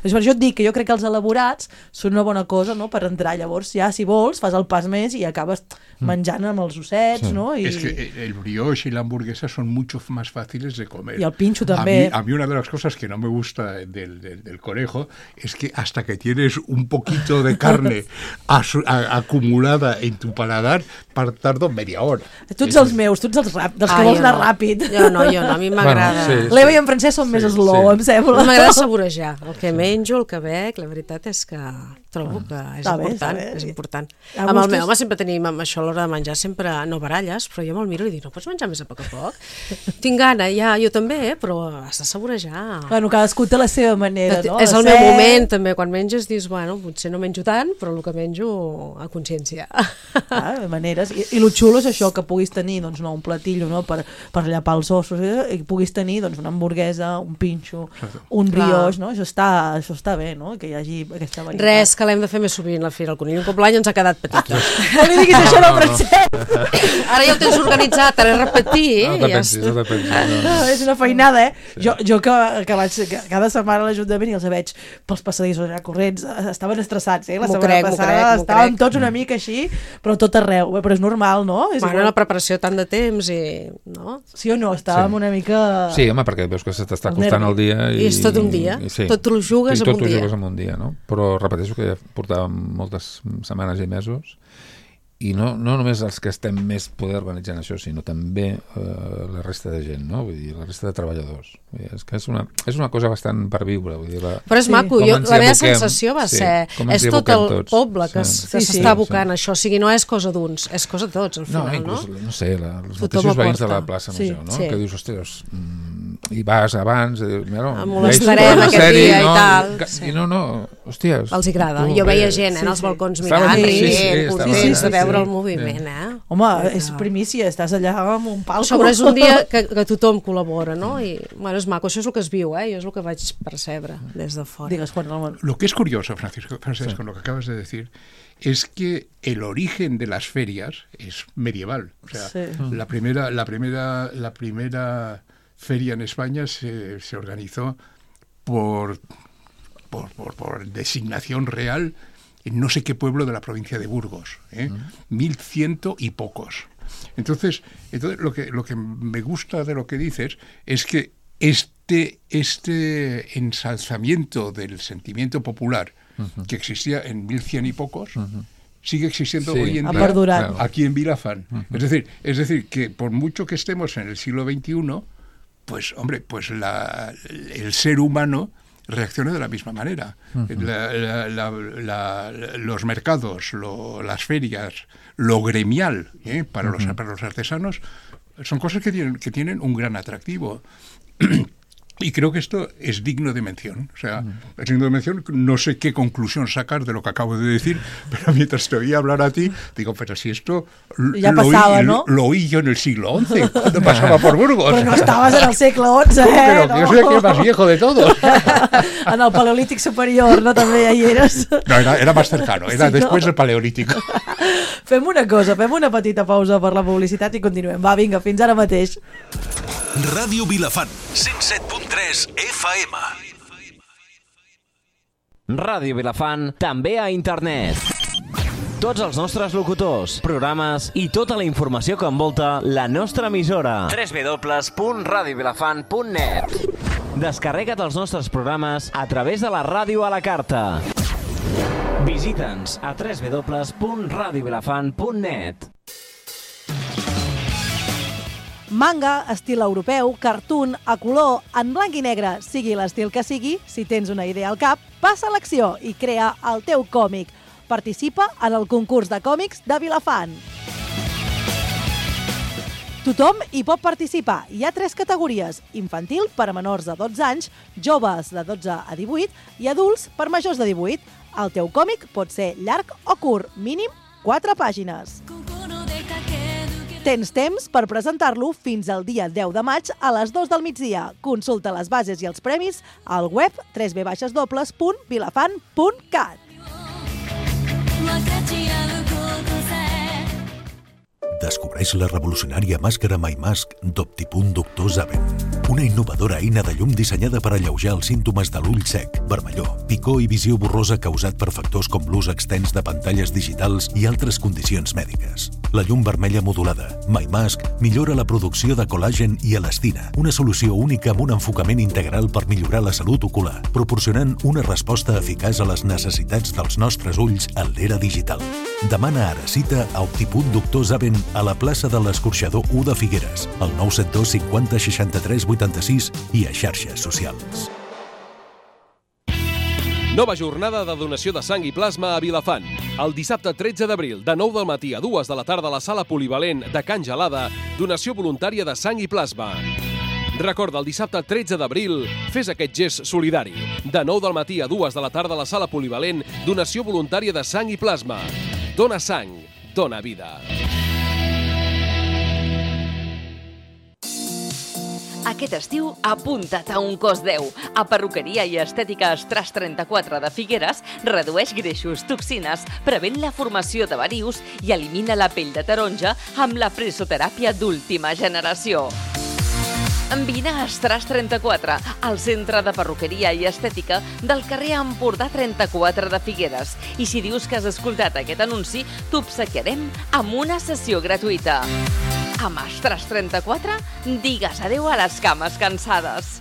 És per això et dic que jo crec que els elaborats són una bona cosa, no?, per entrar. Llavors ja, si vols, fas el pas més i acabes menjant amb els ossets, sí. no? I... Es que el brioche y la hamburguesa son mucho más fáciles de comer. Y el pincho también. A mí, a mí una de las cosas que no me gusta del, del, del conejo es que hasta que tienes un poquito de carne asu, a, acumulada en tu paladar, tardo media hora. Tu ets els meus, tu ets els rap, dels ah, que vols anar no. ràpid. Jo no, jo no, a mi m'agrada. Bueno, sí, L'Eva sí. i en Francesc són sí, més slow, sí. em sembla. M'agrada saborejar. El que menjo, el que bec, la veritat és que trobo que és està important. Bé, és important. A amb el gustos... meu home sempre tenim amb això a l'hora de menjar, sempre no baralles, però jo me'l miro i dic, no pots menjar més a poc a poc? Tinc gana, ja, jo també, eh? Però has de saborejar. Bueno, cadascú té la seva manera, no? És el meu moment, també. Quan menges dius, bueno, potser no menjo tant, però el que menjo a consciència. Ah, maneres. I, i el xulo és això, que puguis tenir doncs, no, un platillo, no?, per, per llapar els ossos, eh? I puguis tenir doncs, una hamburguesa, un pinxo, un brioix, no? Això està, això està bé, no?, que hi hagi aquesta varietat. Res, que l'hem de fer més sovint, la Fira del Conill. Un cop l'any ens ha quedat petita. No li diguis això al Francesc. Ara ja ho tens organitzat, ara repetir. No te pensis, no te pensis. No, no, és una feinada, eh? Sí. Jo, jo que, que vaig que cada setmana a l'Ajuntament i els veig pels passadissos allà corrents, estaven estressats, eh? La setmana crec, passada crec, estàvem crec. tots una mica així, però tot arreu. Però és normal, no? És bueno, la preparació tant de temps i... No? Sí o no? Estàvem sí. una mica... Sí, home, perquè veus que se t'està costant el dia. I, I és tot un dia. I, sí. Tot ho jugues I en un dia. tot ho jugues en un dia, no? Però repeteixo que ja portàvem moltes setmanes i mesos i no, no només els que estem més poder organitzant això, sinó també eh, la resta de gent, no? Vull dir, la resta de treballadors. Vull dir, és que és una, és una cosa bastant per viure. Vull dir, la, però és sí. maco, jo, la meva sensació va sí, ser, és tot el tots. poble que sí. s'està sí, sí. abocant sí. això, o sigui, no és cosa d'uns, és cosa de tots, al final, no? Inclús, no? no sé, la, els mateixos veïns de la plaça Major, sí. no? Sí. Que dius, ostres, mm, i vas abans, i, mira, molestarem aquest sèrie, dia no? i tal. I, sí. I no, no, hòsties. Els agrada, jo veia gent eh, en els balcons mirant, contents de veure el moviment, eh? Home, és primícia, estàs allà amb un palco. Sobre és un dia que, que tothom col·labora, ¿no? I, bueno, és maco, això és el que es viu, ¿eh? Jo és el que vaig percebre des de fora. Digues, Juan Ramón. Lo que es curioso, Francisco, Francisco, sí. lo que acabas de decir, es que el origen de las ferias es medieval. O sea, sí. la primera, la primera, la primera feria en España se, se organizó por, por, por, por designación real en no sé qué pueblo de la provincia de Burgos, ¿eh? Uh-huh. Mil ciento y pocos. Entonces, entonces lo que lo que me gusta de lo que dices es que este este ensalzamiento del sentimiento popular uh-huh. que existía en mil cien y pocos uh-huh. sigue existiendo sí, hoy en día claro. aquí en Vilafán. Uh-huh. Es decir, es decir que por mucho que estemos en el siglo veintiuno, pues hombre, pues la, el ser humano reacciona de la misma manera. Uh-huh. la, la, la, la, los mercados, lo, las ferias, lo gremial ¿eh? para, uh-huh. los, para los artesanos son cosas que tienen, que tienen un gran atractivo. Y creo que esto es digno de mención. O sea, uh-huh. es digno de mención. No sé qué conclusión sacar de lo que acabo de decir, pero mientras te oía hablar a ti, digo, pero si esto ya lo, pasaba, oí, ¿no? lo, lo oí yo en el siglo once, cuando pasaba por Burgos. Pero no estabas en el siglo once, ¿Cómo que no? no? Que yo soy aquí el más viejo de todos. En el Paleolític superior, no? També hi eres. No, era, era más cercano, era sí, después no? del Paleolítico. Fem una cosa, fem una petita pausa per la publicitat i continuem. Va, vinga, fins ara mateix. Ràdio Vilafant, cent set punt tres F M. Ràdio Vilafant, també a internet. Tots els nostres locutors, programes i tota la informació que envolta la nostra emissora. w w w punt radio vilafant punt net. Descarrega't els nostres programes a través de la ràdio a la carta. Visita'ns a w w w punt radio vilafant punt net. Manga, estil europeu, cartoon, a color, en blanc i negre, sigui l'estil que sigui, si tens una idea al cap, passa a l'acció i crea el teu còmic. Participa en el concurs de còmics de Vilafant. Tothom hi pot participar. Hi ha tres categories: infantil per a menors de dotze anys, joves de dotze a divuit i adults per majors de divuit. El teu còmic pot ser llarg o curt, mínim quatre pàgines. Tens temps per presentar-lo fins al dia deu de maig a les dues del migdia. Consulta les bases i els premis al web w w w punt vilafant punt cat. Descobreix la revolucionària màscara MyMask d'Optipunt Doctor Zaven. Una innovadora eina de llum dissenyada per alleujar els símptomes de l'ull sec, vermellor, picor i visió borrosa causat per factors com l'ús extens de pantalles digitals i altres condicions mèdiques. La llum vermella modulada, MyMask, millora la producció de col·làgen i elastina, una solució única amb un enfocament integral per millorar la salut ocular, proporcionant una resposta eficaç a les necessitats dels nostres ulls en l'era digital. Demana ara cita a Optipunt Doctor Zaven a la plaça de l'Escorxador u de Figueres, al nou set dos cinquanta seixanta-tres vuitanta-sis i a xarxes socials. Nova jornada de donació de sang i plasma a Vilafant. El dissabte tretze d'abril, de nou del matí a dues de la tarda a la sala polivalent de Can Gelada, donació voluntària de sang i plasma. Recorda, el dissabte tretze d'abril, fes aquest gest solidari. De nou del matí a dues de la tarda a la sala polivalent, donació voluntària de sang i plasma. Dona sang, dona vida. Aquest estiu, apunta't a un cos deu. A Perruqueria i Estètica Estras trenta-quatre de Figueres redueix greixos, toxines, prevent la formació de varius i elimina la pell de taronja amb la fresoteràpia d'última generació. Vine a Estras trenta-quatre, al centre de perruqueria i estètica del carrer Empordà trenta-quatre de Figueres. I si dius que has escoltat aquest anunci, t'obsequiarem amb una sessió gratuïta. Amb Estras trenta-quatre, digues adeu a les cames cansades.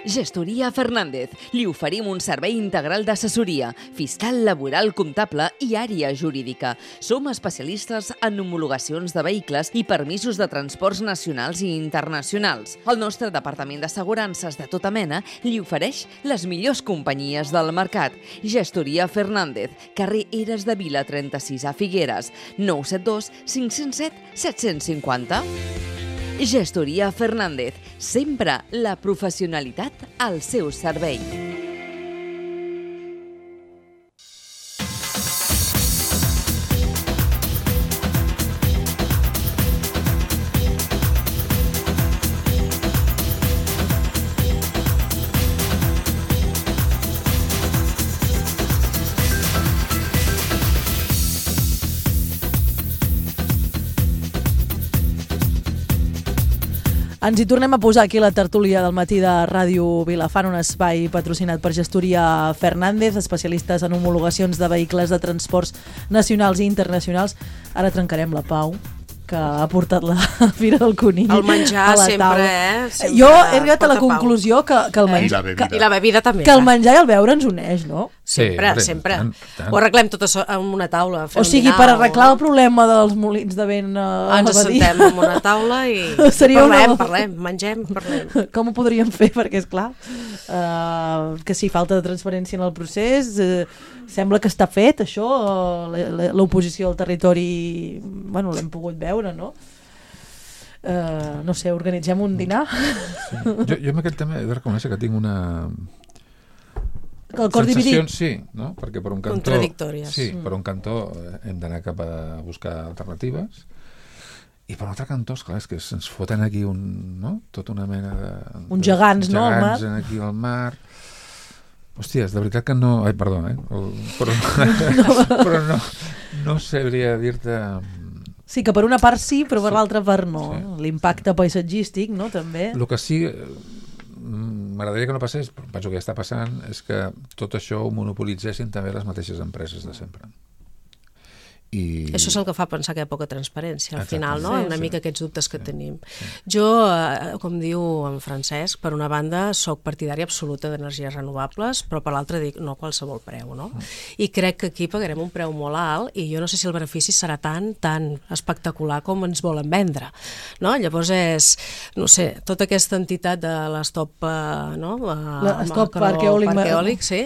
Gestoria Fernández. Li oferim un servei integral d'assessoria, fiscal, laboral, comptable i àrea jurídica. Som especialistes en homologacions de vehicles i permisos de transports nacionals i internacionals. El nostre departament d'assegurances de tota mena li ofereix les millors companyies del mercat. Gestoria Fernández, carrer Eres de Vila trenta-sis a Figueres, nou set dos cinc zero set set cinc zero. Gestoria Fernández, sempre la professionalitat al seu servei. Ens hi tornem a posar aquí la tertúlia del matí de Ràdio Vilafant, un espai patrocinat per Gestoria Fernández, especialistes en homologacions de vehicles de transports nacionals i internacionals. Ara trencarem la pau que ha portat la Fira del Conill el menjar a la sempre, taula. eh? Sempre jo he arribat a la conclusió que, que el menjar... I la bebida. I la bebida també. Que el menjar i el beure ens uneix, no? Sempre, Sí, sempre. tant, tant. Ho arreglem tot això en una taula. O sigui, per arreglar el problema dels molins de vent a Ens Badia, assentem en una taula i Seria parlem, una- parlem, mengem, parlem. com ho podríem fer? Perquè, esclar, uh, que sí, falta de transparència en el procés, uh, sembla que està fet, això, uh, l'oposició al territori, bueno, l'hem pogut veure, no? Uh, no sé, organitzem un dinar? Sí. Jo, jo amb aquest tema he de reconèixer que tinc una... El cor dividit? Sensacions, sí, no? Perquè per un cantó... Contradictòries. Sí, per un cantó eh, hem d'anar cap a buscar alternatives i per un altre cantó, esclar, és que se'ns foten aquí un, no? Tota una mena de... Uns gegants, no, al mar? Gegants aquí al mar... Hòsties, de veritat que no... Ai, perdó, eh? El... Però, però no, no sabria dir-te... Sí, que per una part sí, però per Sí. l'altra part no. Sí. L'impacte paisatgístic, no?, també. El que sí, eh, m'agradaria que no passés, però penso que ja està passant, és que tot això ho monopolitzessin també les mateixes empreses de sempre. I... Això és el que fa pensar que hi ha poca transparència al Exacte. final, no? Sí, Una sí. mica aquests dubtes que Sí, tenim. sí. Jo, eh, com diu en Francesc, per una banda soc partidària absoluta d'energies renovables, però per l'altra dic no a qualsevol preu, no? I crec que aquí pagarem un preu molt alt i jo no sé si el benefici serà tan, tan espectacular com ens volen vendre, no? Llavors és, no sé, tota aquesta entitat de l'Stop, eh, no? La Stop Parc Eòlic. Parc Eòlic, sí.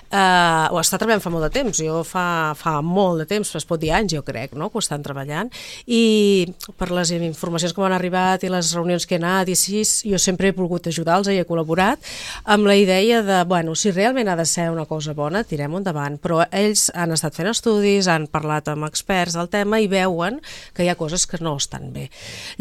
Uh, ho està treballant fa molt de temps. Jo fa, fa molt de temps, es pot dir anys, jo crec, no? Que ho estan treballant. I per les informacions que m'han arribat i les reunions que he anat i així, jo sempre he volgut ajudar-los i he col·laborat amb la idea de, bueno, si realment ha de ser una cosa bona, tirem-ho endavant. Però ells han estat fent estudis, han parlat amb experts del tema i veuen que hi ha coses que no estan bé.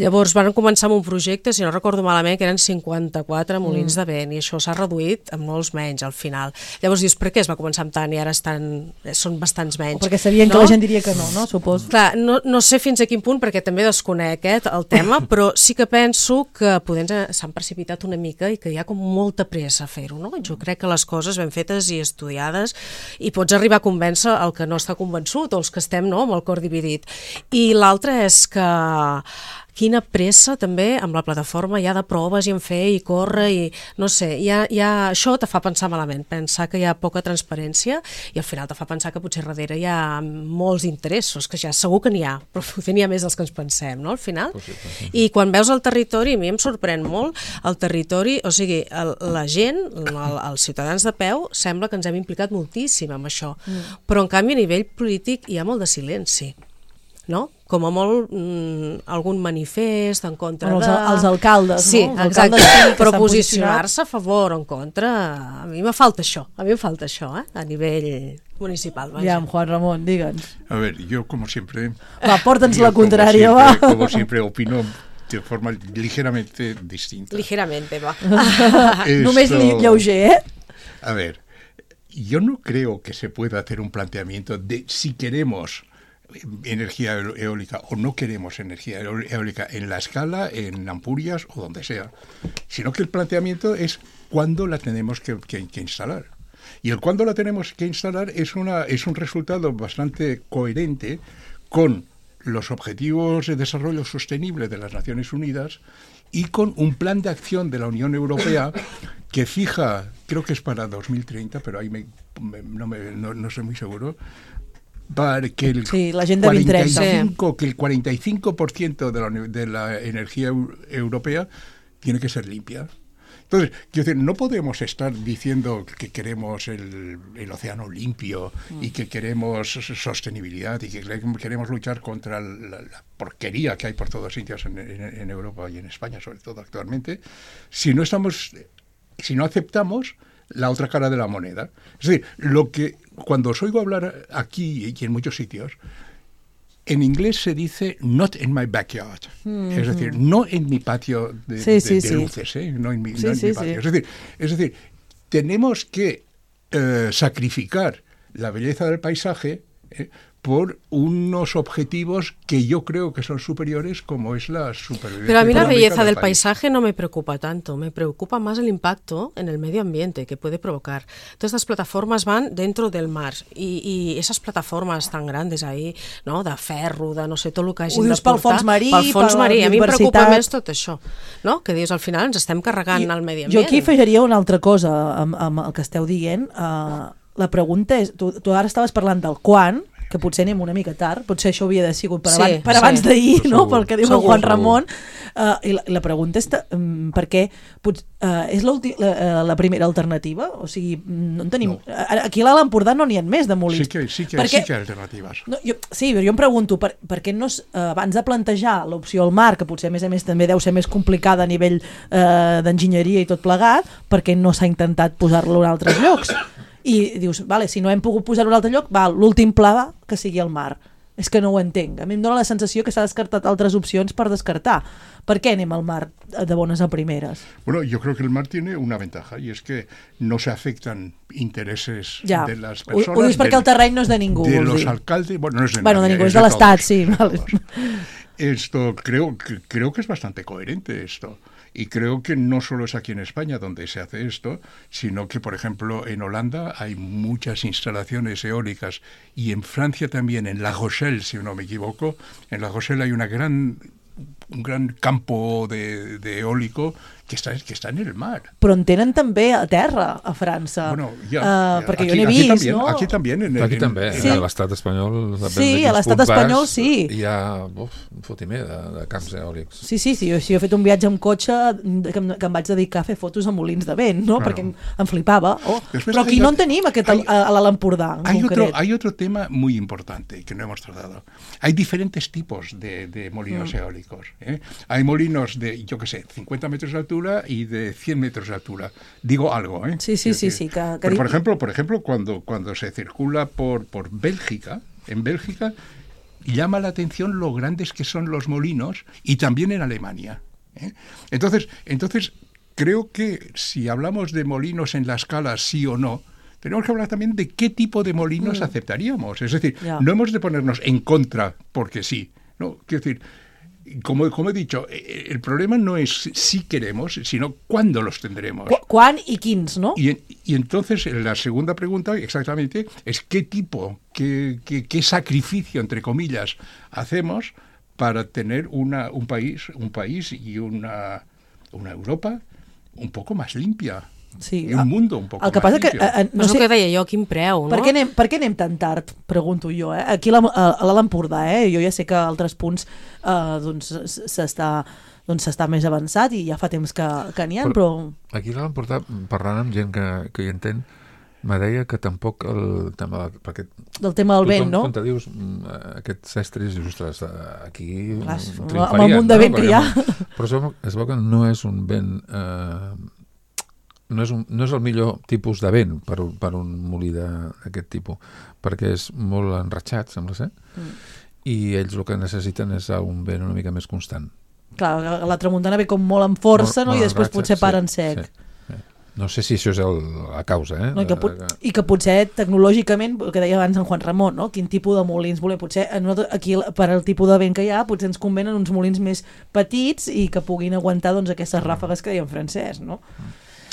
Llavors van començar amb un projecte, si no recordo malament, que eren cinquanta-quatre molins mm. de vent i això s'ha reduït a molts menys al final. Llavors dius, per què es va començar amb tant i ara estan, són bastants menys? O perquè sabien no? que la gent diria que no, no? Suposo. Clar, no, no sé fins a quin punt, perquè també desconec eh, el tema, però sí que penso que potser s'han precipitat una mica i que hi ha com molta pressa a fer-ho, no? Jo crec que les coses ben fetes i estudiades i pots arribar a convèncer el que no està convençut o els que estem, no?, amb el cor dividit. I l'altre és que quina pressa també amb la plataforma ja de proves i en fer i córrer i no sé, ja, ja, això te fa pensar malament, pensar que hi ha poca transparència i al final te fa pensar que potser darrere hi ha molts interessos, que ja segur que n'hi ha, però potser n'hi ha més dels que ens pensem, no?, al final. Possible, sí. I quan veus el territori, a mi em sorprèn molt el territori, o sigui, el, la gent, el, els ciutadans de peu, sembla que ens hem implicat moltíssim amb això, mm. però en canvi a nivell polític hi ha molt de silenci, no? Com a molt mm, algun manifest en contra Els, de... els alcaldes, sí, no? Els exacte, alcaldes sí que però s'han posicionar-se a favor o en contra, a mi me falta això, a mi em falta això, eh? A nivell municipal. Vaja. Ja, Juan Ramon, digue'ns. A ver, yo como siempre... Va, porta'ns yo la como contrària, siempre- va. Como siempre opino de forma ligeramente distinta. Ligeramente, va. Esto... Només lleuger, ¿eh? A ver, yo no creo que se pueda hacer un planteamiento de si queremos energía eólica o no queremos energía eólica en La Escala, en Ampurias o donde sea, sino que el planteamiento es cuándo la tenemos que, que, que instalar. Y el cuándo la tenemos que instalar es, una, es un resultado bastante coherente con los Objetivos de Desarrollo Sostenible de las Naciones Unidas y con un plan de acción de la Unión Europea que fija, creo que es para dos mil treinta, pero ahí me, me, no, me, no, no soy muy seguro, para que el, sí, la Agenda dos mil treinta. cuarenta y cinco, que el cuarenta y cinco por ciento de la, de la energía europea tiene que ser limpia. Entonces, quiero decir, no podemos estar diciendo que queremos el, el océano limpio mm. y que queremos sostenibilidad y que queremos luchar contra la, la porquería que hay por todos sitios en, en, en Europa y en España, sobre todo actualmente, si no estamos, si no aceptamos la otra cara de la moneda. Es decir, lo que cuando os oigo hablar aquí y en muchos sitios, en inglés se dice not in my backyard, mm-hmm. es decir, no en mi patio de, sí, de, sí, de sí. luces, ¿eh? no en mi, sí, no en sí, mi patio. Sí. Es decir, es decir, tenemos que eh, sacrificar la belleza del paisaje eh, por unos objetivos que yo creo que son superiores, como es la supervivencia. Pero a mí la belleza del, del paisaje no me preocupa tanto, me preocupa más el impacto en el medio ambiente que puede provocar. Todas estas plataformas van dentro del mar i, i esas plataformas tan grandes ahí, no? De ferro, de no sé, tot el que hagin de portar. Pel fons marí, pel fons per marí. A mi em preocupa més tot això, no? Que dius, al final ens estem carregant I, el medi ambient. Jo aquí afegiria una altra cosa amb, amb el que esteu dient. Uh, la pregunta és, tu, tu ara estaves parlant del quan, que potser anem una mica tard, potser això havia de sigut per, sí, abans, per sí. abans d'ahir, no? Pel que diu el Juan Ramon. Uh, I la, la pregunta és um, per què pot, uh, és la, uh, la primera alternativa? O sigui, no en tenim... No. Aquí a l'Alt Empordà no n'hi ha més de molins. Sí que, sí que, perquè, sí que hi ha alternatives. No, jo, sí, però jo em pregunto, per, per què no, uh, abans de plantejar l'opció al mar, que potser a més a més també deu ser més complicada a nivell uh, d'enginyeria i tot plegat, per què no s'ha intentat posar-lo en altres llocs? I dius, vale, si no hem pogut posar-ho en un altre lloc, va, l'últim pla va que sigui el mar. És que no ho entenc. A mi em dóna la sensació que s'ha descartat altres opcions per descartar. ¿Por qué anem al mar de bones a primeras? Bueno, yo creo que el mar tiene una ventaja y es que no se afectan intereses ja. de las personas. Ho, ho dius perquè el terreny no és de ningú. De los dir. alcaldes, bueno, no es de bueno, nadie, de ningú, es és de, de l'Estat, sí. Vale. Esto creo, creo que es bastante coherente esto. Y creo que no solo es aquí en España donde se hace esto, sino que, por ejemplo, en Holanda hay muchas instalaciones eólicas y en Francia también, en La Rochelle, si no me equivoco, en La Rochelle hay una gran, un gran campo de, de eólico que està, que està en el mar. Però en tenen també a terra, a França. Bueno, ja, uh, ja. perquè aquí, jo n'he vist, també, no? Aquí també. En, aquí en, també, sí. a l'estat espanyol. Sí, a l'estat espanyol sí. Hi ha uf, un fotimer de, de camps eòlics. Sí, sí, sí. Jo, si jo he fet un viatge amb cotxe que em, que em vaig dedicar a fer fotos a molins de vent, no? Claro. Perquè em, em flipava. Oh. Però aquí hay, no en tenim, aquest hay, a, a l'Alt Empordà, en hay concret. Otro, hay otro tema muy importante que no hemos tratado. Hay diferentes tipos de, de molinos mm. eólicos. ¿eh? Hay molinos de, yo qué sé, cincuenta metros de altura y de cien metros de altura. Digo algo, ¿eh? Sí, sí, sí, sí. Que, que Pero, por ejemplo, por ejemplo cuando, cuando se circula por, por Bélgica, en Bélgica, llama la atención lo grandes que son los molinos y también en Alemania. ¿eh? Entonces, entonces, creo que si hablamos de molinos en la escala sí o no, tenemos que hablar también de qué tipo de molinos mm. aceptaríamos. Es decir, yeah. no hemos de ponernos en contra porque sí. No, quiero decir, Como, como he dicho, el problema no es si queremos, sino cuándo los tendremos. ¿Cuán y quins, no? Y, y entonces la segunda pregunta, exactamente, es qué tipo, qué, qué, qué sacrificio, entre comillas, hacemos para tener una, un país, un país y una, una Europa un poco más limpia. Sí, i un mundo un poc el que passa que, eh, no sé, el que deia jo, quin preu, no? Per què anem, per què anem tan tard, pregunto jo, eh? Aquí a l'Alt Empordà, eh? Jo ja sé que a altres punts eh, doncs s'està doncs s'està més avançat i ja fa temps que, que n'hi ha, però... però... Aquí a l'Alt Empordà, parlant amb gent que, que hi entén, me deia que tampoc el tema... Perquè del tema del vent, no? Quan te dius aquests estris, dius, ostres, aquí clar, amb el munt de vent no? que hi ha... Però es veu que no és un vent... Eh, No és, un, no és el millor tipus de vent per, per un molí d'aquest tipus, perquè és molt enratxat, sembla ser, mm. i ells el que necessiten és un vent una mica més constant Clar, la tramuntana ve com molt amb força, molt, no? molt I després ratxa, potser para en sí, sec. sí. No sé si això és el, la causa, eh? No, i, que, I que potser tecnològicament, el que deia abans en Juan Ramon, no? Quin tipus de molins voler, potser aquí per al tipus de vent que hi ha, potser ens convenen uns molins més petits i que puguin aguantar doncs, aquestes ràfegues que deia en Francesc, no?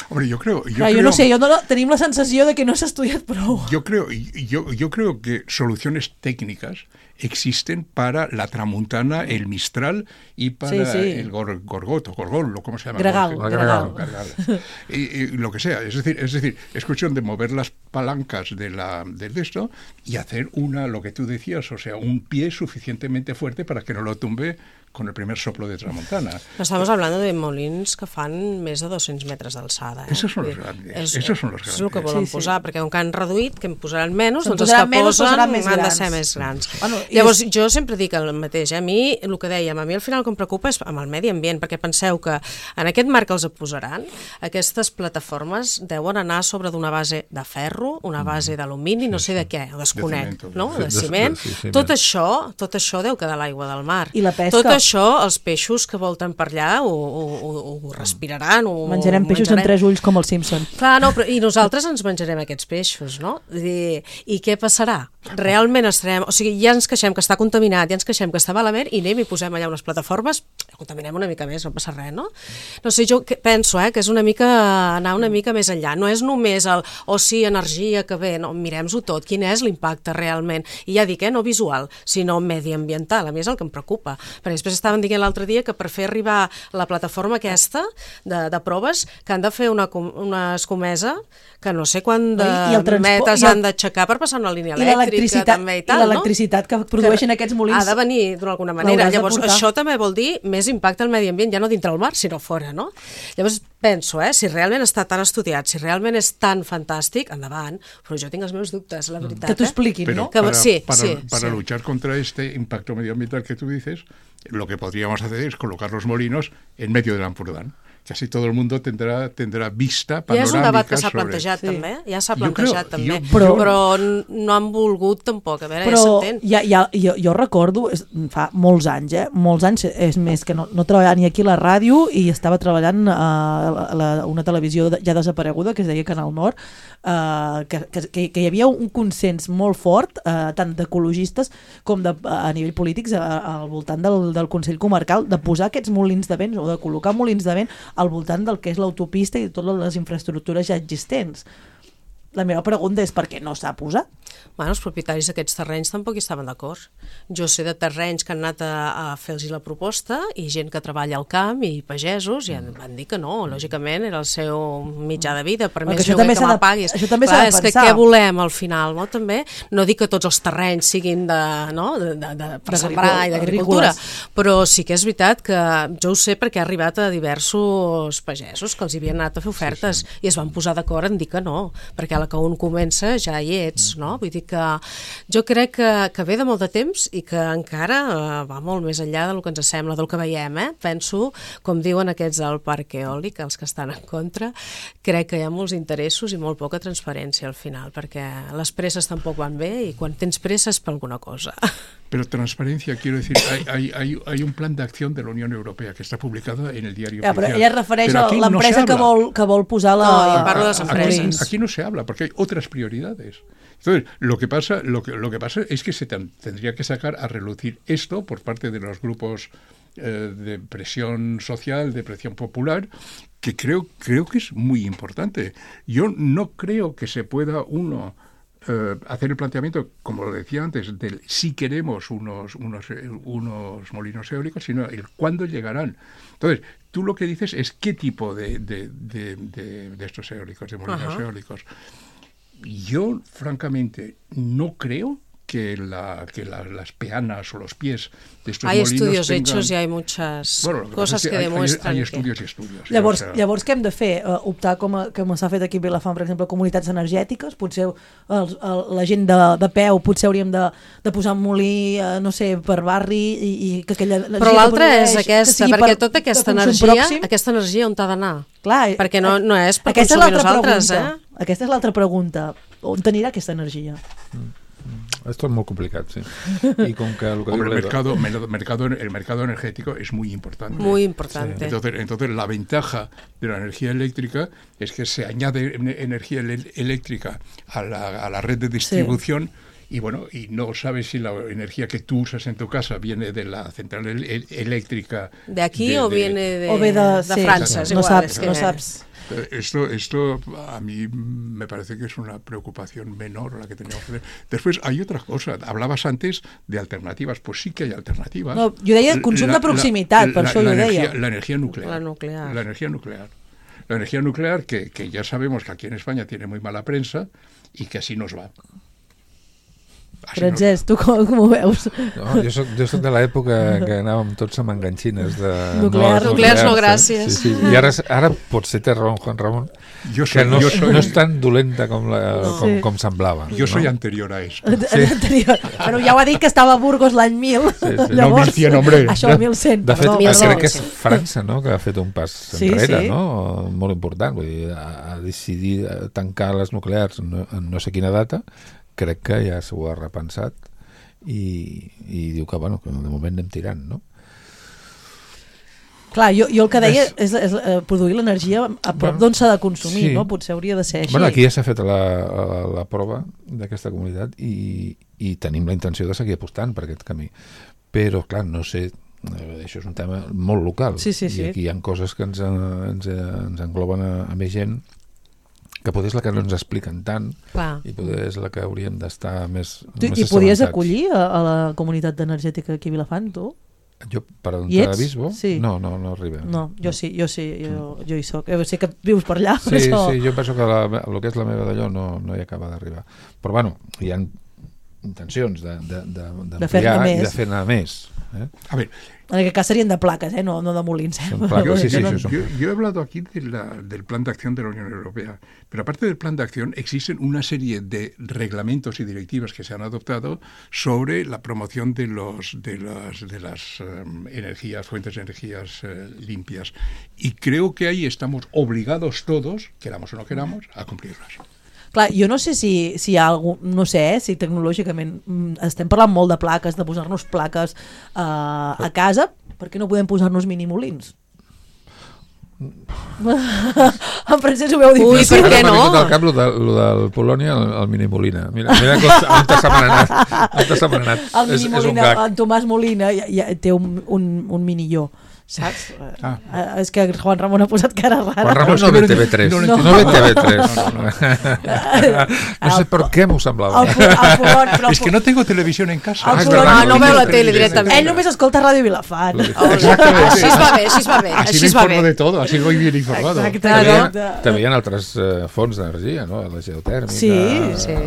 Hombre, yo creo... Yo, Clar, creo, yo no sé, yo no, tenim la sensació de que no s'ha estudiat prou. Yo creo, yo, yo creo que soluciones técnicas existen para la tramuntana, el mistral y para sí, sí. el gor, gorgoto, gorgol, ¿cómo se llama? Gregal. Gregal. Gregal. Gregal. Y, y lo que sea. Es decir, es decir, es cuestión de mover las palancas de la del de esto y hacer una, lo que tú decías, o sea, un pie suficientemente fuerte para que no lo tumbe con el primer soplo de tramuntana. Estamos hablando de molins que fan més de dos-cents metres d'alçada. Eh? Esos son los grandes. És, Esos son los grandes. És el que volen sí, sí. posar, perquè com que han reduït, que en posaran menys, se'n doncs els que menys, posen han més de ser més grans. Bueno, Llavors, és... jo sempre dic el mateix, eh? A mi, el que dèiem, a mi al final el que em preocupa és amb el medi ambient, perquè penseu que en aquest marc que els posaran, aquestes plataformes deuen anar sobre d'una base de ferro, una base d'alumini, no sé de què, ho desconec, no? De ciment. Tot això, tot això deu quedar a l'aigua del mar. I la pesca. Tot això, els peixos que volten per allà ho, ho, ho respiraran. Ho, menjarem peixos menjarem. amb tres ulls com el Simpson. Clar, no, però, i nosaltres ens menjarem aquests peixos, no? I, i què passarà? Realment estarem... O sigui, ja ens queixem que està contaminat, ja ens queixem que està malament i anem i posem allà unes plataformes, contaminem una mica més, no passa res, no? No sé, jo penso eh, que és una mica anar una mica més enllà. No és només el, o oh, sí, energia que ve, no, mirem-ho tot. Quin és l'impacte realment? I ja dic, eh, no visual, sinó mediambiental. A mi és el que em preocupa. Perquè després estaven dient l'altre dia que per fer arribar la plataforma aquesta de, de proves, que han de fer una, una escomesa que no sé quant de metres han d'aixecar per passar una línia elèctrica també i tal, i l'electricitat no? que produeixen que aquests molins ha de venir d'alguna manera. Llavors això també vol dir més impacte al medi ambient, ja no dintre el mar, sinó fora, no? Llavors penso, eh, si realment està tan estudiat, si realment és tan fantàstic, endavant, però jo tinc els meus dubtes, la veritat. Que t'ho expliquin, Pero ¿no? Para, sí, para, sí, para sí. luchar contra este impacto medioambiental que tú dices, lo que podríamos hacer es colocar los molinos en medio del Ampurdán. Que así todo el mundo tendrà, tendrà vista panoràmica. Ja és un debat que s'ha sobre... plantejat sí. també, ja s'ha Jo plantejat creo, també, jo, però, jo... però no han volgut tampoc, a veure, però ja s'entén. Ja, ja, jo, jo recordo, fa molts anys, eh? molts anys, és més que no, no treballava ni aquí a la ràdio i estava treballant a, a, la, una televisió ja desapareguda que es deia Canal Nord, eh, que, que, que hi havia un consens molt fort, eh, tant d'ecologistes com de, a nivell polítics a, al voltant del, del Consell Comarcal, de posar aquests molins de vent o de col·locar molins de vent al voltant del que és l'autopista i totes les infraestructures ja existents. La meva pregunta és per què no s'ha posat? Bueno, els propietaris d'aquests terrenys tampoc hi estaven d'acord. Jo sé de terrenys que han anat a, a fer-los la proposta i gent que treballa al camp i pagesos i van dir que no, lògicament era el seu mitjà de vida, per més lloguer que m'apaguis. Això també s'ha de pensar. És que què volem al final, no? També no dic que tots els terrenys siguin de, no? de, de, de per sembrar i d'agricultura, però sí que és veritat que jo ho sé perquè ha arribat a diversos pagesos que els havien anat a fer ofertes sí, sí. i es van posar d'acord en dir que no, perquè a la que un comença ja hi ets, no? Vull dir que jo crec que, que ve de molt de temps i que encara uh, va molt més enllà del que ens sembla, del que veiem, eh? Penso, com diuen aquests del parc eòlic, els que estan en contra, crec que hi ha molts interessos i molt poca transparència al final, perquè les presses tampoc van bé i quan tens presses per alguna cosa. Pero transparencia, quiero decir, hay, hay, hay, hay un plan de acción de la Unión Europea que está publicado en el diario ja, oficial. Però ella es refereix a l'empresa no que, vol, que vol posar la... No, jo parlo de les empreses. Aquí, aquí no se habla, porque hay otras prioridades. Entonces, lo que pasa, lo que, lo que pasa es que se ten, tendría que sacar a relucir esto por parte de los grupos eh, de presión social, de presión popular, que creo, creo que es muy importante. Yo no creo que se pueda uno... Uh, hacer el planteamiento, como lo decía antes, del si queremos unos, unos, unos molinos eólicos, sino el cuándo llegarán. Entonces, tú lo que dices es qué tipo de, de, de, de, de estos eólicos, de molinos Ajá. eólicos. Yo, francamente, no creo que, la, que la, las peanas o los pies de estos hay molinos estudios tengan... hechos y hay muchas bueno, cosas que, que hay, demuestran hay, hay que... estudios y estudios. Llavors, o sea... llavors què hem de fer? Uh, optar, com, a, com s'ha fet aquí a Vilafant, per exemple, comunitats energètiques? Potser el, el, la gent de, de peu, potser hauríem de, de posar un molí, uh, no sé, per barri i, i que aquella... Però l'altra és aquesta, perquè per, tota aquesta energia, pròxim. aquesta energia on t'ha d'anar? Clar, perquè no, no és per consumir nosaltres, pregunta. eh? Aquesta és l'altra pregunta. On t'anirà aquesta energia? Mm. Esto es muy complicado, sí. Y con que lo que Hombre, el mercado, mercado, el mercado energético es muy importante. Muy importante. Sí. Entonces, entonces, la ventaja de la energía eléctrica es que se añade energía eléctrica a la, a la red de distribución. Sí. Y bueno, y no sabes si la energía que tú usas en tu casa viene de la central el eléctrica de aquí de, o de, viene de, o ve de, de sí, Francia. No saps, no saps. Esto, esto a mí me parece que es una preocupación menor la que teníamos que tener. Después hay otra cosa. Hablabas antes de alternativas. Pues sí que hay alternativas. No, jo deia consum la, de proximitat, la, per la, això la, jo energia, deia. La energia nuclear. La nuclear. La energía nuclear. La energía nuclear que, que ya sabemos que aquí en España tiene muy mala prensa y que así nos va. Francesc, tu com, com ho veus? No, jo soc, jo soc de l'època que anàvem tots amb enganxines de... Nuclear, no, nuclears no, gràcies. Sí, sí. I ara, ara potser té raó Juan Ramon, jo soy, que no, jo soy, no és tan dolenta com, la, no. com, com semblava. Jo soy no? anterior a esto. Sí. Anterior. Però ja ho ha dit que estava a Burgos l'any mil. Sí, sí. Llavors, no, mil cent, hombre. Això, mil cent. De fet, perdó, crec perdó. que és França, no?, que ha fet un pas sí, enrere, sí. no?, molt important. Vull dir, ha decidit tancar les nuclears en no, en no sé quina data. Crec que ja s'ho ha repensat. I, i diu que, bueno, que de moment anem tirant, no? Clar, jo, jo el que deia és, és, és uh, produir l'energia a prop bueno, d'on s'ha de consumir, sí. no? Potser hauria de ser així. Bueno, aquí ja s'ha fet la, la, la prova d'aquesta comunitat i, i tenim la intenció de seguir apostant per aquest camí. Però, clar, no sé, això és un tema molt local. Sí, sí, sí. I aquí hi ha coses que ens, ens, ens engloben a, a més gent, que potser és la que no ens expliquen tant. Clar. I potser és la que hauríem d'estar més, tu, més I podies acollir a, a la comunitat energètica aquí a Vilafant, tu? Jo, per on t'aviso? Sí. No, no, no arribem. No, jo sí, jo sí, jo, jo hi soc. Jo sé que vius per allà. Sí, però... sí, jo penso que la, el que és la meva d'allò no, no hi acaba d'arribar. Però bueno, hi ha intencions de, de, de, de fer-ne més. I de fer-ne més. Eh? A ver, en aquest cas serien de plaques, ¿eh? no, no de molins. ¿eh? Yo, sí, sí, yo, yo, yo he hablado aquí de la, del plan de acción de la Unión Europea, pero aparte del plan de acción existen una serie de reglamentos y directivas que se han adoptado sobre la promoción de, los, de las, de las um, energías, fuentes de energías uh, limpias. Y creo que ahí estamos obligados todos, queramos o no queramos, a cumplirlas. Clar, jo no sé si, si hi ha algun, no sé, eh, si tecnològicament estem parlant molt de plaques, de posar-nos plaques uh, a casa, per què no podem posar-nos minimolins? En Francesc ho veu difícil. Ui, per què no? M'ha vingut al cap lo, de, lo del Polònia, el, el minimolina. Mira, mira on t'ha setmanat. On t'ha setmanat. El minimolina, en Tomàs Molina ja, ja té un, un, un minilló. Saps? Ah. Uh, és que Juan Ramon ha posat cara rara. Juan Ramon no ve T V tres. No, no, no ve T V tres. No, no, no. no sé per què m'ho semblava. El, el Polon, és que no tengo televisión en casa. El Polon, ah, no veu la tele directament. Ell només escolta Ràdio Vilafant. Exactament. Així es va bé, així es va bé. Així me informo de todo, así voy bien informado. Exacte. També hi ha altres uh, fonts d'energia, no? La geotèrmica. Sí, sí.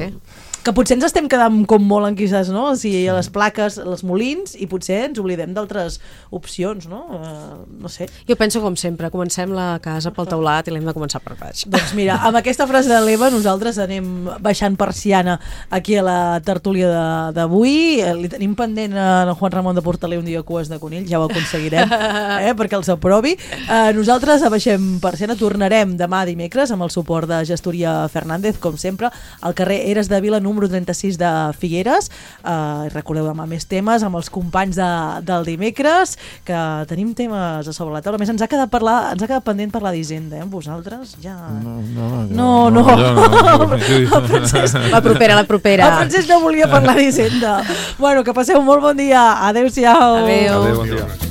Que potser ens estem quedant com molt enquisats, no? O sigui, les plaques, els molins, i potser ens oblidem d'altres opcions, no? Uh, no sé. Jo penso com sempre, comencem la casa pel teulat i l'hem de començar per baix. Doncs mira, amb aquesta frase de l'Eva nosaltres anem baixant persiana aquí a la tertúlia d'avui. Li tenim pendent a Juan Ramon de portar-li un dia cues de conill, ja ho aconseguirem, eh, perquè els aprovi. Uh, nosaltres abaixem persiana, tornarem demà dimecres amb el suport de Gestoria Fernández, com sempre, al carrer Eres de Vila, número trenta-sis de Figueres. Uh, recordeu demà més temes amb els companys de, del dimecres, que tenim temes a sobre la taula. A més, ens ha quedat, parlar, ens ha quedat pendent parlar d'Hisenda, eh? Vosaltres ja... No, no, no. no, no. no, no. Francesc... La propera, la propera. El Francesc no volia parlar d'Hisenda. Bueno, que passeu un molt bon dia. Adéu-siau. Adéu. Adéu, bon dia.